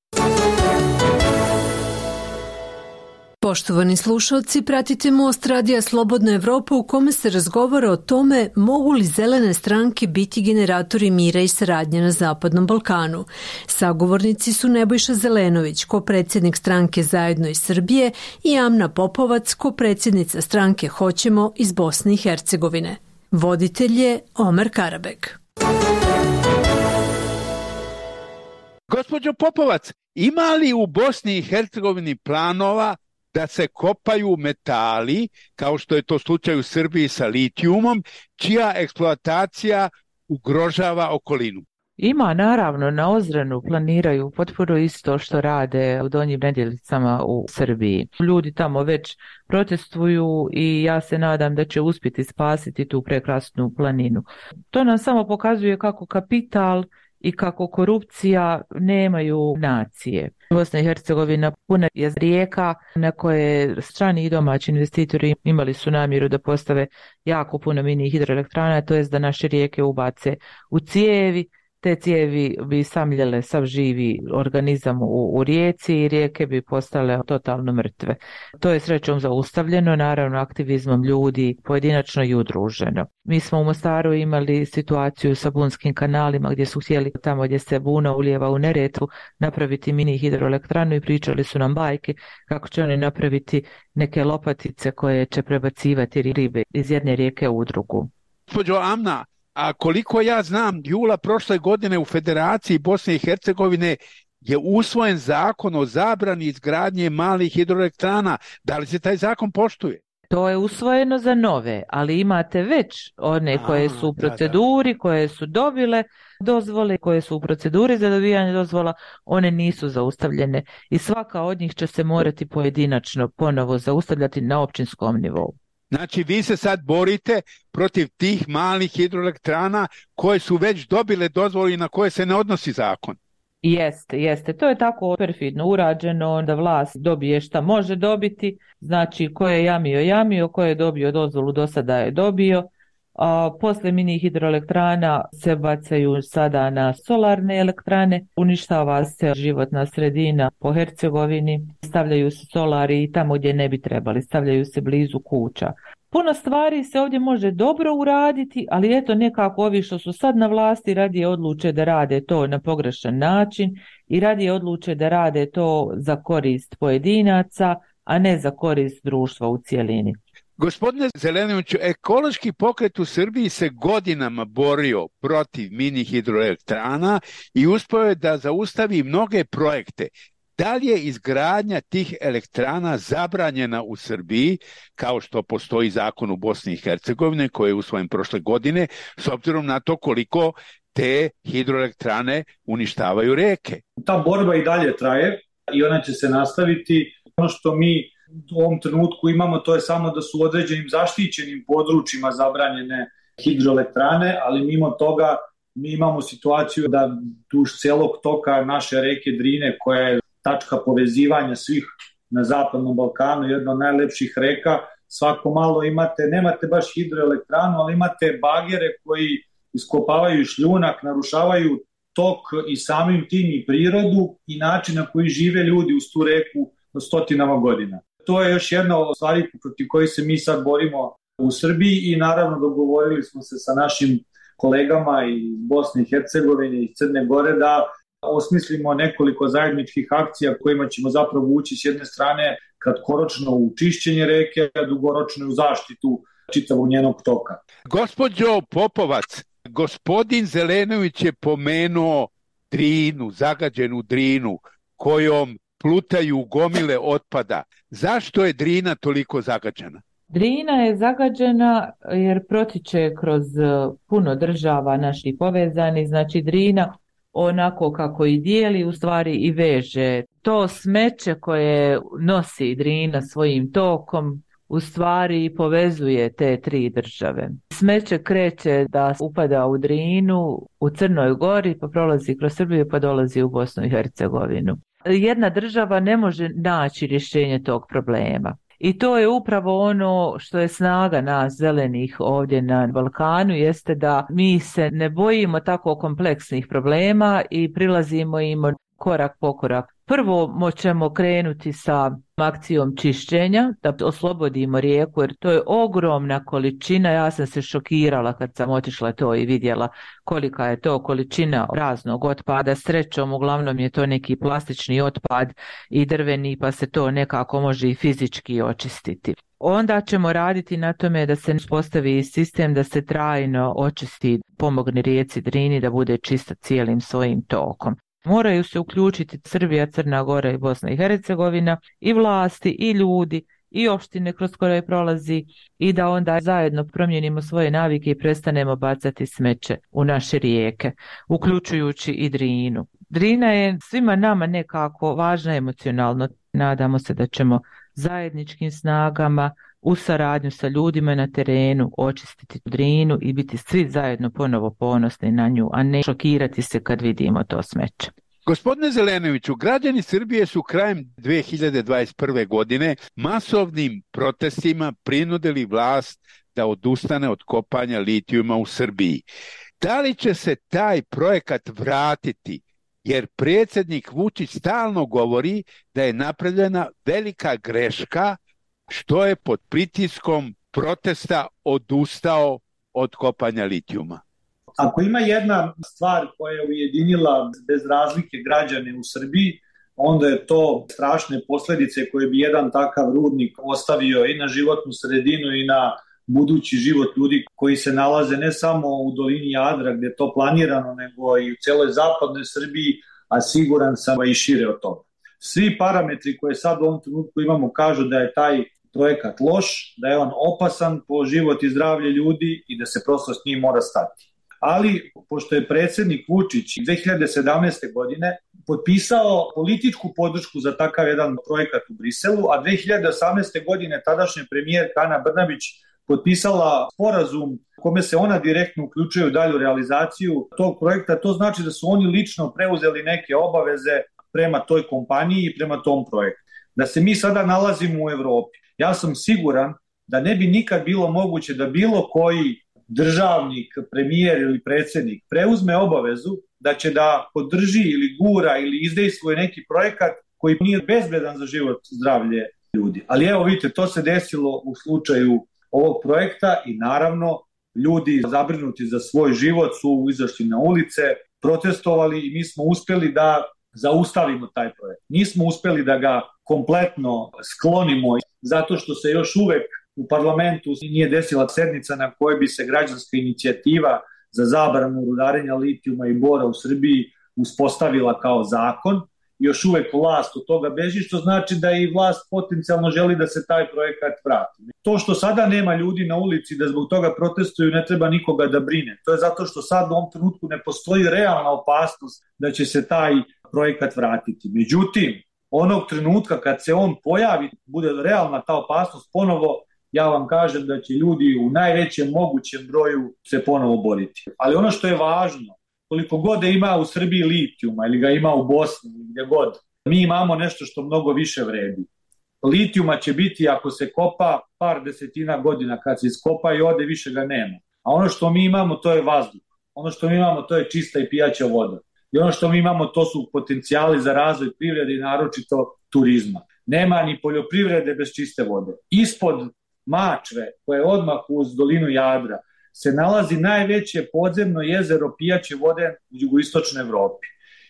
Poštovani slušalci, pratite Most Radija Slobodna Evropa u kome se razgovara o tome mogu li zelene stranke biti generatori mira i saradnje na Zapadnom Balkanu. Sagovornici su Nebojša Zelenović, kopredsjednik stranke Zajedno iz Srbije, i Amna Popovac, kopredsjednica stranke Hoćemo iz Bosne i Hercegovine. Voditelj je Omer Karabek. Gospođo Popovac, ima li u Bosni i Hercegovini planova da se kopaju metali, kao što je to slučaj u Srbiji sa litijumom, čija eksploatacija ugrožava okolinu? Ima, naravno, na Ozrenu planiraju potpuno isto što rade u Donjim Nedjeljicama u Srbiji. Ljudi tamo već protestuju i ja se nadam da će uspjeti spasiti tu prekrasnu planinu. To nam samo pokazuje kako kapital i kako korupcija nemaju nacije. Bosna i Hercegovina puna je rijeka na koje strani i domaći investitori imali su namjeru da postave jako puno mini hidroelektrana, to jest da naše rijeke ubace u cijevi. Te cijevi bi samljele sav živi organizam u rijeci i rijeke bi postale totalno mrtve. To je srećom zaustavljeno, naravno aktivizmom ljudi pojedinačno i udruženo. Mi smo u Mostaru imali situaciju sa bunskim kanalima gdje su htjeli tamo gdje se buna ulijeva u Neretvu napraviti mini hidroelektranu i pričali su nam bajke kako će oni napraviti neke lopatice koje će prebacivati ribe iz jedne rijeke u drugu. Gospođo Amna, a koliko ja znam, jula prošle godine u Federaciji Bosne i Hercegovine je usvojen zakon o zabrani izgradnje malih hidroelektrana. Da li se taj zakon poštuje? To je usvojeno za nove, ali imate već one koje su u proceduri, koje su dobile dozvole, koje su u proceduri za dobivanje dozvola, one nisu zaustavljene i svaka od njih će se morati pojedinačno ponovo zaustavljati na općinskom nivou. Znači, vi se sad borite protiv tih malih hidroelektrana koje su već dobile dozvolu i na koje se ne odnosi zakon. Jeste. To je tako perfidno urađeno da vlast dobije šta može dobiti. Znači, ko je jamio, ko je dobio dozvolu do sada je dobio. Posle mini hidroelektrana se bacaju sada na solarne elektrane, uništava se životna sredina po Hercegovini, stavljaju se solari i tamo gdje ne bi trebali, stavljaju se blizu kuća. Puno stvari se ovdje može dobro uraditi, ali eto nekako ovi što su sad na vlasti radije odluče da rade to na pogrešan način i radije odluče da rade to za korist pojedinaca, a ne za korist društva u cijelini. Gospodine Zelenoviću, ekološki pokret u Srbiji se godinama borio protiv mini hidroelektrana i uspio je da zaustavi mnoge projekte. Da li je izgradnja tih elektrana zabranjena u Srbiji, kao što postoji zakon u Bosni i Hercegovini koji je usvojen prošle godine, s obzirom na to koliko te hidroelektrane uništavaju reke? Ta borba i dalje traje i ona će se nastaviti. Ono što mi u ovom trenutku imamo, to je samo da su u određenim zaštićenim područjima zabranjene hidroelektrane, ali mimo toga mi imamo situaciju da duž celog toka naše reke Drine, koja je tačka povezivanja svih na Zapadnom Balkanu, jedna od najlepših reka, svako malo nemate baš hidroelektranu, ali imate bagere koji iskopavaju šljunak, narušavaju tok i samim tim i prirodu i način na koji žive ljudi uz tu reku stotinama godina. To je još jedna od stvari protiv kojih se mi sad borimo u Srbiji i naravno dogovorili smo se sa našim kolegama iz Bosne i Hercegovine i Crne Gore da osmislimo nekoliko zajedničkih akcija kojima ćemo zapravo ući s jedne strane kratkoročno u čišćenje reke, a dugoročno u zaštitu čitavog njenog toka. Gospođo Popovac, gospodin Zelenović je pomenuo Drinu, zagađenu Drinu, kojom plutaju gomile otpada. Zašto je Drina toliko zagađena? Drina je zagađena jer protiče kroz puno država naših povezanih, znači Drina onako kako i dijeli u stvari i veže. To smeće koje nosi Drina svojim tokom u stvari povezuje te tri države. Smeće kreće da upada u Drinu u Crnoj Gori, pa prolazi kroz Srbiju pa dolazi u Bosnu i Hercegovinu. Jedna država ne može naći rješenje tog problema. I to je upravo ono što je snaga nas zelenih ovdje na Balkanu, jeste da mi se ne bojimo tako kompleksnih problema i prilazimo im korak po korak. Prvo ćemo krenuti sa akcijom čišćenja, da oslobodimo rijeku, jer to je ogromna količina. Ja sam se šokirala kad sam otišla to i vidjela kolika je to količina raznog otpada. Srećom, uglavnom je to neki plastični otpad i drveni, pa se to nekako može i fizički očistiti. Onda ćemo raditi na tome da se uspostavi sistem da se trajno očisti, pomogne rijeci Drini da bude čista cijelim svojim tokom. Moraju se uključiti Srbija, Crna Gora i Bosna i Hercegovina, i vlasti, i ljudi, i opštine kroz koje prolazi, i da onda zajedno promijenimo svoje navike i prestanemo bacati smeće u naše rijeke, uključujući i Drinu. Drina je svima nama nekako važna emocionalno. Nadamo se da ćemo zajedničkim snagama u saradnju sa ljudima na terenu očistiti Drinu i biti svi zajedno ponovo ponosni na nju, a ne šokirati se kad vidimo to smeće. Gospodine Zelenoviću, građani Srbije su krajem 2021. godine masovnim protestima prinudili vlast da odustane od kopanja litijuma u Srbiji. Da li će se taj projekat vratiti? Jer predsjednik Vučić stalno govori da je napravljena velika greška što je pod pritiskom protesta odustao od kopanja litijuma. Ako ima jedna stvar koja je ujedinila bez razlike građane u Srbiji, onda je to strašne posljedice koje bi jedan takav rudnik ostavio i na životnu sredinu i na budući život ljudi koji se nalaze ne samo u dolini Jadra gdje je to planirano, nego i u cijeloj zapadnoj Srbiji, a siguran sam i šire od toga. Svi parametri koje sad u ovom trenutku imamo kažu da je taj projekat loš, da je on opasan po život i zdravlje ljudi i da se prosto s njim mora stati. Ali, pošto je predsjednik Vučić 2017. godine potpisao političku podršku za takav jedan projekat u Briselu, a 2018. godine tadašnji premijer Ana Brnabić potpisala sporazum kome se ona direktno uključuje u dalju realizaciju tog projekta, to znači da su oni lično preuzeli neke obaveze prema toj kompaniji i prema tom projektu. Da se mi sada nalazimo u Evropi, ja sam siguran da ne bi nikad bilo moguće da bilo koji državnik, premijer ili predsjednik preuzme obavezu da će da podrži ili gura ili izdejstvuje neki projekat koji nije bezbedan za život, zdravlje ljudi. Ali evo vidite, to se desilo u slučaju ovog projekta i naravno ljudi zabrinuti za svoj život su izašli na ulice, protestovali i mi smo uspjeli da zaustavimo taj projekt. Nismo uspjeli da ga kompletno sklonimo zato što se još uvek u parlamentu nije desila sednica na kojoj bi se građanska inicijativa za zabranu rudarenja litijuma i bora u Srbiji uspostavila kao zakon. Još uvek vlast od toga beži, što znači da i vlast potencijalno želi da se taj projekat vrati. To što sada nema ljudi na ulici da zbog toga protestuju ne treba nikoga da brine. To je zato što sad u ovom trenutku ne postoji realna opasnost da će se taj projekat vratiti. Međutim, onog trenutka kad se on pojavi, bude realna ta opasnost ponovo, ja vam kažem da će ljudi u najvećem mogućem broju se ponovo boriti. Ali ono što je važno, koliko god da ima u Srbiji litijuma ili ga ima u Bosni ili gdje god, mi imamo nešto što mnogo više vredi. Litijuma će biti ako se kopa par desetina godina, kad se iskopa i ode više ga nema. A ono što mi imamo to je vazduh. Ono što mi imamo to je čista i pijaća voda. I ono što mi imamo to su potencijali za razvoj privrede i naročito turizma. Nema ni poljoprivrede bez čiste vode. Ispod Mačve, koje je odmah uz dolinu Jadra, se nalazi najveće podzemno jezero pijaće vode u jugoistočnoj Evropi.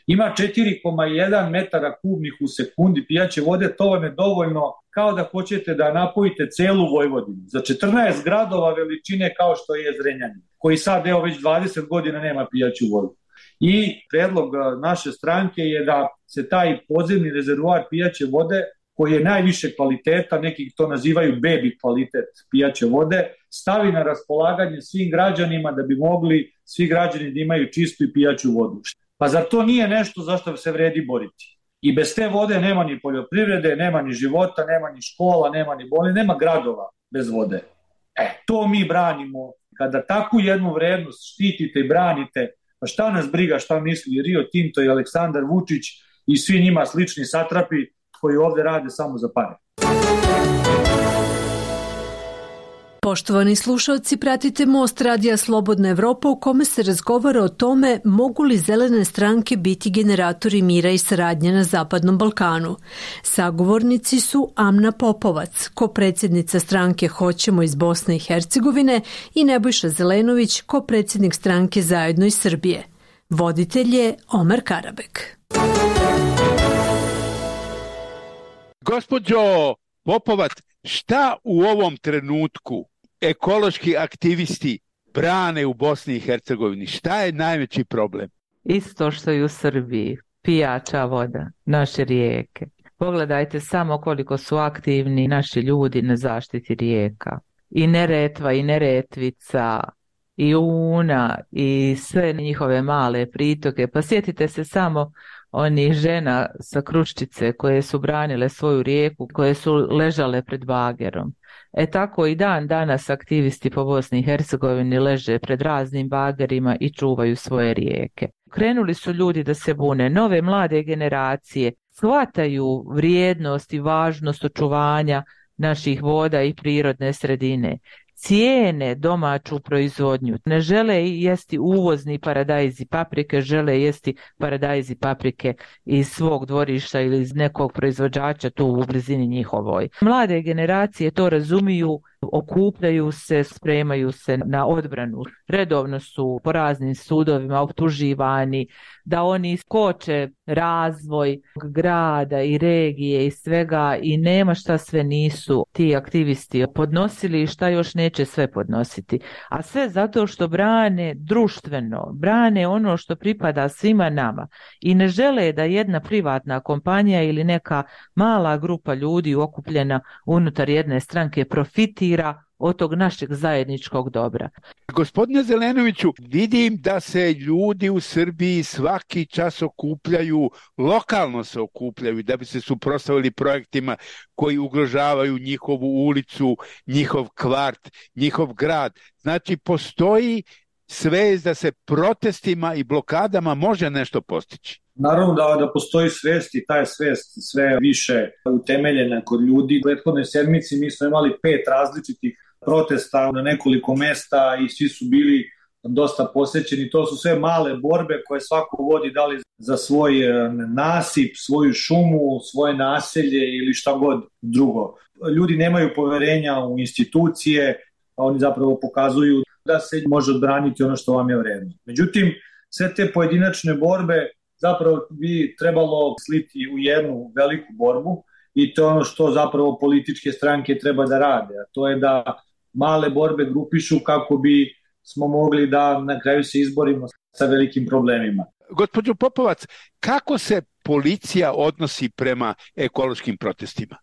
Ima 4,1 metara kubnih u sekundi pijaće vode, to vam je dovoljno kao da hoćete da napojite celu Vojvodinu. Za 14 gradova veličine kao što je Zrenjanin, koji sad već 20 godina nema pijaću vodu. I predlog naše stranke je da se taj podzemni rezervoar pijaće vode, koji je najviše kvaliteta, neki to nazivaju baby kvalitet pijaće vode, stavi na raspolaganje svim građanima da bi mogli svi građani da imaju čistu i pijaću vodu. Pa zar to nije nešto za što se vredi boriti? I bez te vode nema ni poljoprivrede, nema ni života, nema ni škola, nema ni bolje, nema gradova bez vode. To mi branimo. Kada takvu jednu vrednost štitite i branite, pa šta nas briga šta misli Rio Tinto i Aleksandar Vučić i svi njima slični satrapi koji ovdje rade samo za pare. Poštovani slušalci, pratite Most radija Slobodna Evropa u kome se razgovara o tome mogu li zelene stranke biti generatori mira i saradnje na Zapadnom Balkanu. Sagovornici su Amna Popovac, kopredsjednica stranke Hoćemo iz Bosne i Hercegovine, i Nebojša Zelenović, kopredsjednik stranke Zajedno iz Srbije. Voditelj je Omer Karabek. Gospođo Popovac, šta u ovom trenutku ekološki aktivisti brane u Bosni i Hercegovini? Šta je najveći problem? Isto što i u Srbiji, pijača voda, naše rijeke. Pogledajte samo koliko su aktivni naši ljudi na zaštiti rijeka. I Neretva, i Neretvica, i Una, i sve njihove male pritoke. Pa sjetite se samo onih žena sa Kruščice koje su branile svoju rijeku, koje su ležale pred bagerom. Tako i dan danas aktivisti po Bosni i Hercegovini leže pred raznim bagerima i čuvaju svoje rijeke. Krenuli su ljudi da se bune, nove mlade generacije shvataju vrijednost i važnost očuvanja naših voda i prirodne sredine. Cijene domaću proizvodnju. Ne žele jesti uvozni paradajz i paprike, žele jesti paradajz i paprike iz svog dvorišta ili iz nekog proizvođača tu u blizini njihovoj. Mlade generacije to razumiju, okupljaju se, spremaju se na odbranu. Redovno su po raznim sudovima optuživani da oni koče razvoj grada i regije i svega i nema šta sve nisu ti aktivisti podnosili i šta još neće sve podnositi. A sve zato što brane društveno, brane ono što pripada svima nama i ne žele da jedna privatna kompanija ili neka mala grupa ljudi okupljena unutar jedne stranke profitira od tog našeg zajedničkog dobra. Gospodine Zelenoviću, vidim da se ljudi u Srbiji svaki čas okupljaju, lokalno se okupljaju da bi se suprotstavili projektima koji ugrožavaju njihovu ulicu, njihov kvart, njihov grad. Znači, postoji svest da se protestima i blokadama može nešto postići. Naravno da postoji svest i ta je svest sve više utemeljena kod ljudi. U prethodnoj sedmici mi smo imali 5 različitih protesta na nekoliko mesta i svi su bili dosta posjećeni. To su sve male borbe koje svako vodi, da li za svoj nasip, svoju šumu, svoje naselje ili šta god drugo. Ljudi nemaju poverenja u institucije, a oni zapravo pokazuju da se može odbraniti ono što vam je vredno. Međutim, sve te pojedinačne borbe zapravo bi trebalo sliti u jednu veliku borbu i to je ono što zapravo političke stranke treba da rade, a to je da male borbe grupišu kako bi smo mogli da na kraju se izborimo sa velikim problemima. Gospođo Popovac, kako se policija odnosi prema ekološkim protestima?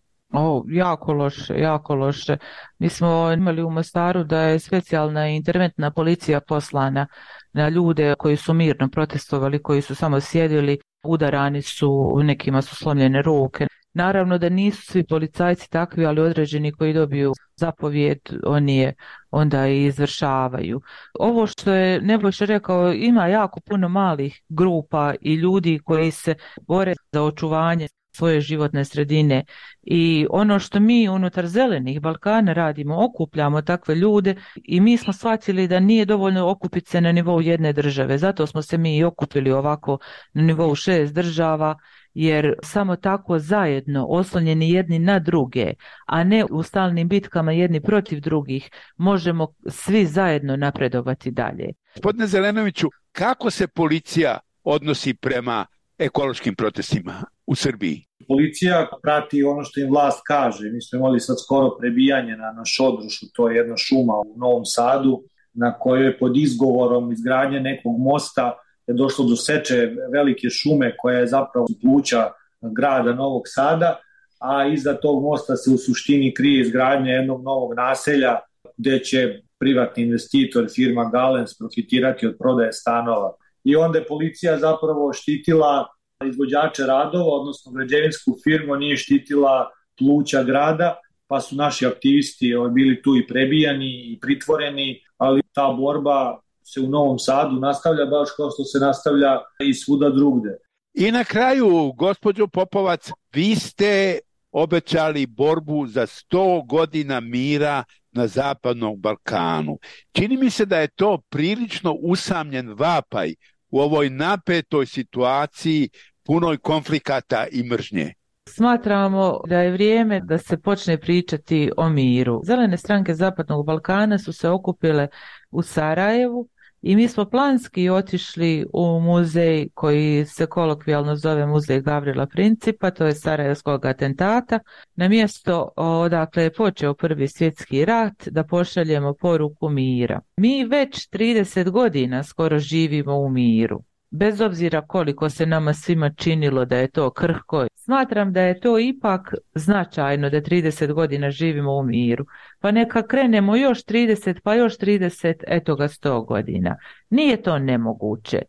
Jako loše, jako loše. Mi smo imali u Mostaru da je specijalna interventna policija poslana na ljude koji su mirno protestovali, koji su samo sjedili, udarani su, nekima su slomljene ruke. Naravno da nisu svi policajci takvi, ali određeni koji dobiju zapovijed, oni je onda i izvršavaju. Ovo što je Nebojša rekao, ima jako puno malih grupa i ljudi koji se bore za očuvanje svoje životne sredine i ono što mi unutar Zelenih Balkana radimo, okupljamo takve ljude i mi smo shvatili da nije dovoljno okupiti se na nivou jedne države, zato smo se mi i okupili ovako na nivou 6 država, jer samo tako zajedno, oslonjeni jedni na druge, a ne u stalnim bitkama jedni protiv drugih, možemo svi zajedno napredovati dalje. Gospodine Zelenoviću, kako se policija odnosi prema ekološkim protestima u Srbiji? Policija prati ono što im vlast kaže. Mi smo imali sad skoro prebijanje na Šodrušu, to je jedna šuma u Novom Sadu, na kojoj je pod izgovorom izgradnje nekog mosta je došlo do seče velike šume koja je zapravo pluća grada Novog Sada, a iza tog mosta se u suštini krije izgradnja jednog novog naselja gde će privatni investitor, firma Galens, profitirati od prodaje stanova. I onda je policija zapravo štitila izvođače radova, odnosno građevinsku firmu, nije štitila pluća grada, pa su naši aktivisti bili tu i prebijani i pritvoreni, ali ta borba se u Novom Sadu nastavlja baš kao što se nastavlja i svuda drugde. I na kraju, gospođo Popovac, vi ste obećali borbu za 100 godina mira na Zapadnom Balkanu. Čini mi se da je to prilično usamljen vapaj u ovoj napetoj situaciji punoj konflikata i mržnje. Smatramo da je vrijeme da se počne pričati o miru. Zelene stranke Zapadnog Balkana su se okupile u Sarajevu i mi smo planski otišli u muzej koji se kolokvijalno zove Muzej Gavrila Principa, to je Sarajevskog atentata, na mjesto odakle je počeo Prvi svjetski rat, da pošaljemo poruku mira. Mi već 30 godina skoro živimo u miru. Bez obzira koliko se nama svima činilo da je to krhko, smatram da je to ipak značajno da 30 godina živimo u miru. Pa neka krenemo još 30, pa još 30, eto ga 100 godina. Nije to nemoguće.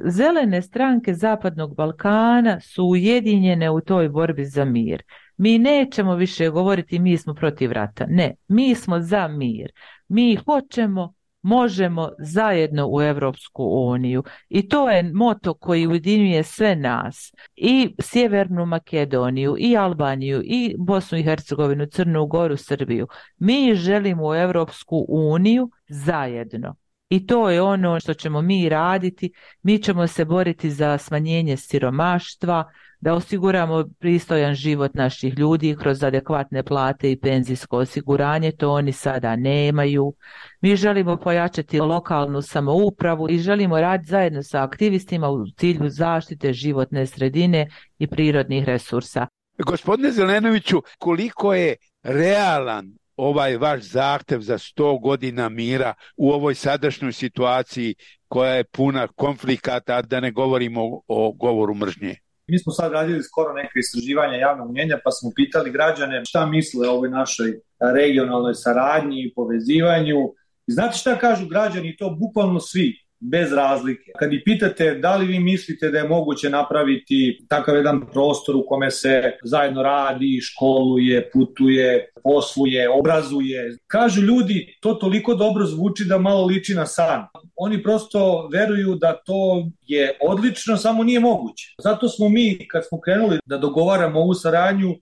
Zelene stranke Zapadnog Balkana su ujedinjene u toj borbi za mir. Mi nećemo više govoriti mi smo protiv rata. Ne, mi smo za mir. Mi hoćemo, možemo zajedno u Europsku uniju i to je moto koji ujedinjuje sve nas, i Sjevernu Makedoniju, i Albaniju, i Bosnu i Hercegovinu, Crnu Goru, Srbiju. Mi želimo u Europsku uniju zajedno i to je ono što ćemo mi raditi. Mi ćemo se boriti za smanjenje siromaštva, da osiguramo pristojan život naših ljudi kroz adekvatne plate i penzijsko osiguranje, to oni sada nemaju. Mi želimo pojačati lokalnu samoupravu i želimo raditi zajedno sa aktivistima u cilju zaštite životne sredine i prirodnih resursa. Gospodine Zelenoviću, koliko je realan ovaj vaš zahtev za 100 godina mira u ovoj sadašnjoj situaciji koja je puna konflikata, da ne govorimo o govoru mržnje? Mi smo sad radili skoro neke istraživanja javnog mnjenja, pa smo pitali građane šta misle o ovoj našoj regionalnoj saradnji i povezivanju. I znate šta kažu građani? To bukvalno svi, bez razlike. Kad ih pitate da li vi mislite da je moguće napraviti takav jedan prostor u kome se zajedno radi, školuje, putuje, posluje, obrazuje, kažu ljudi, to toliko dobro zvuči da malo liči na san. Oni prosto veruju da to je odlično, samo nije moguće. Zato smo mi, kad smo krenuli da dogovaramo ovu saradnju,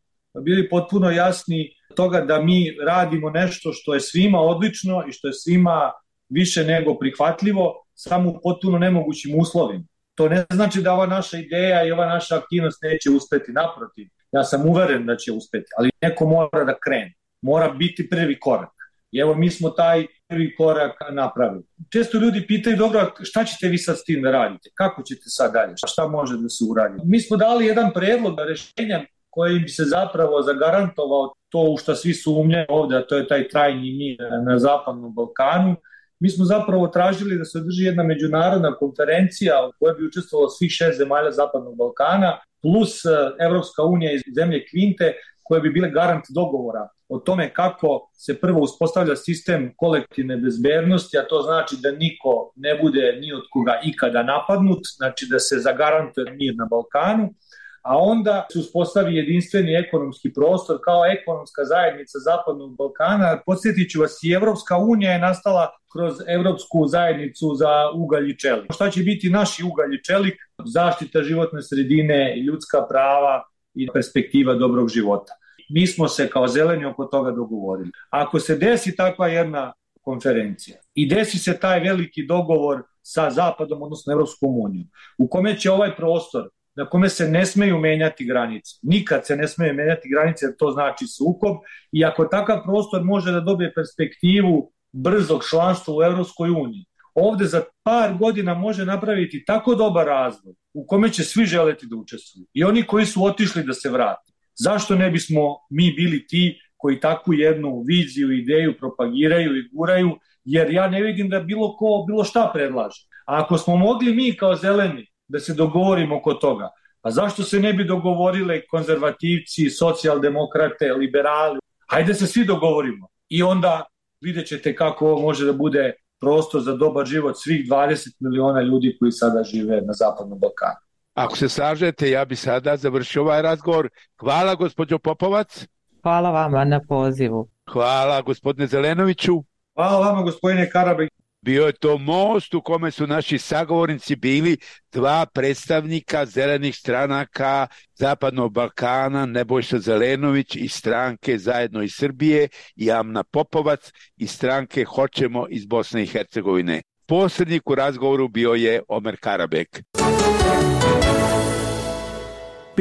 bili potpuno jasni toga da mi radimo nešto što je svima odlično i što je svima više nego prihvatljivo, samo u potpuno nemogućim uslovima. To ne znači da ova naša ideja i ova naša aktivnost neće uspeti, naprotiv. Ja sam uveren da će uspeti, ali neko mora da krene. Mora biti prvi korak. I evo mi smo taj prvi korak napravili. Često ljudi pitaju, dobro, šta ćete vi sad s tim da radite? Kako ćete sad dalje? Šta može da se uradi? Mi smo dali jedan predlog rešenja koji bi se zapravo zagarantovao to u što svi sumnjaju ovdje, a to je taj trajni mir na Zapadnom Balkanu. Mi smo zapravo tražili da se održi jedna međunarodna konferencija u kojoj bi učestvovalo svih 6 zemalja Zapadnog Balkana plus Evropska unija i zemlje Kvinte, koje bi bile garant dogovora o tome kako se prvo uspostavlja sistem kolektivne bezbednosti, a to znači da niko ne bude ni od koga ikada napadnut, znači da se zagarantuje mir na Balkanu, a onda se uspostavi jedinstveni ekonomski prostor kao ekonomska zajednica Zapadnog Balkana. Podsjetit ću vas, i Evropska unija je nastala kroz Evropsku zajednicu za ugalj i čelik. Šta će biti naši ugalj i čelik? Zaštita životne sredine, ljudska prava i perspektiva dobrog života. Mi smo se kao zeleni oko toga dogovorili. Ako se desi takva jedna konferencija i desi se taj veliki dogovor sa Zapadom, odnosno Evropskom unijom, u kome će ovaj prostor na kome se ne smeju menjati granice. Nikad se ne smeju menjati granice, jer to znači sukob. I ako takav prostor može da dobije perspektivu brzog članstva u Evropskoj uniji, ovde za par godina može napraviti tako dobar razvoj u kome će svi želeti da učestvuju. I oni koji su otišli da se vrate. Zašto ne bismo mi bili ti koji takvu jednu viziju, ideju propagiraju i guraju, jer ja ne vidim da bilo ko bilo šta predlaže. A ako smo mogli mi kao zeleni da se dogovorimo oko toga, a zašto se ne bi dogovorile konzervativci, socijaldemokrate, liberali? Hajde se svi dogovorimo i onda vidjet ćete kako ovo može da bude prostor za dobar život svih 20 miliona ljudi koji sada žive na Zapadnom Balkanu. Ako se slažete, ja bi sada završio ovaj razgovor. Hvala, gospođo Popovac. Hvala vama na pozivu. Hvala, gospodine Zelenoviću. Hvala vama, gospodine Karabek. Bio je to most u kome su naši sagovornici bili dva predstavnika zelenih stranaka Zapadnog Balkana, Nebojša Zelenović iz stranke Zajedno iz Srbije i Amna Popovac iz stranke Hoćemo iz Bosne i Hercegovine. Posrednik u razgovoru bio je Omer Karabek.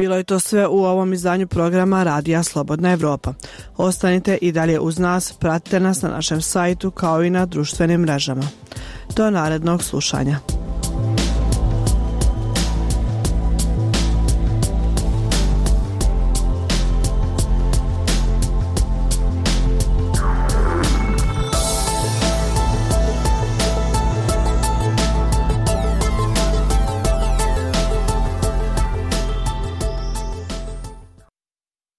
Bilo je to sve u ovom izdanju programa Radija Slobodna Evropa. Ostanite i dalje uz nas, pratite nas na našem sajtu kao i na društvenim mrežama. Do narednog slušanja.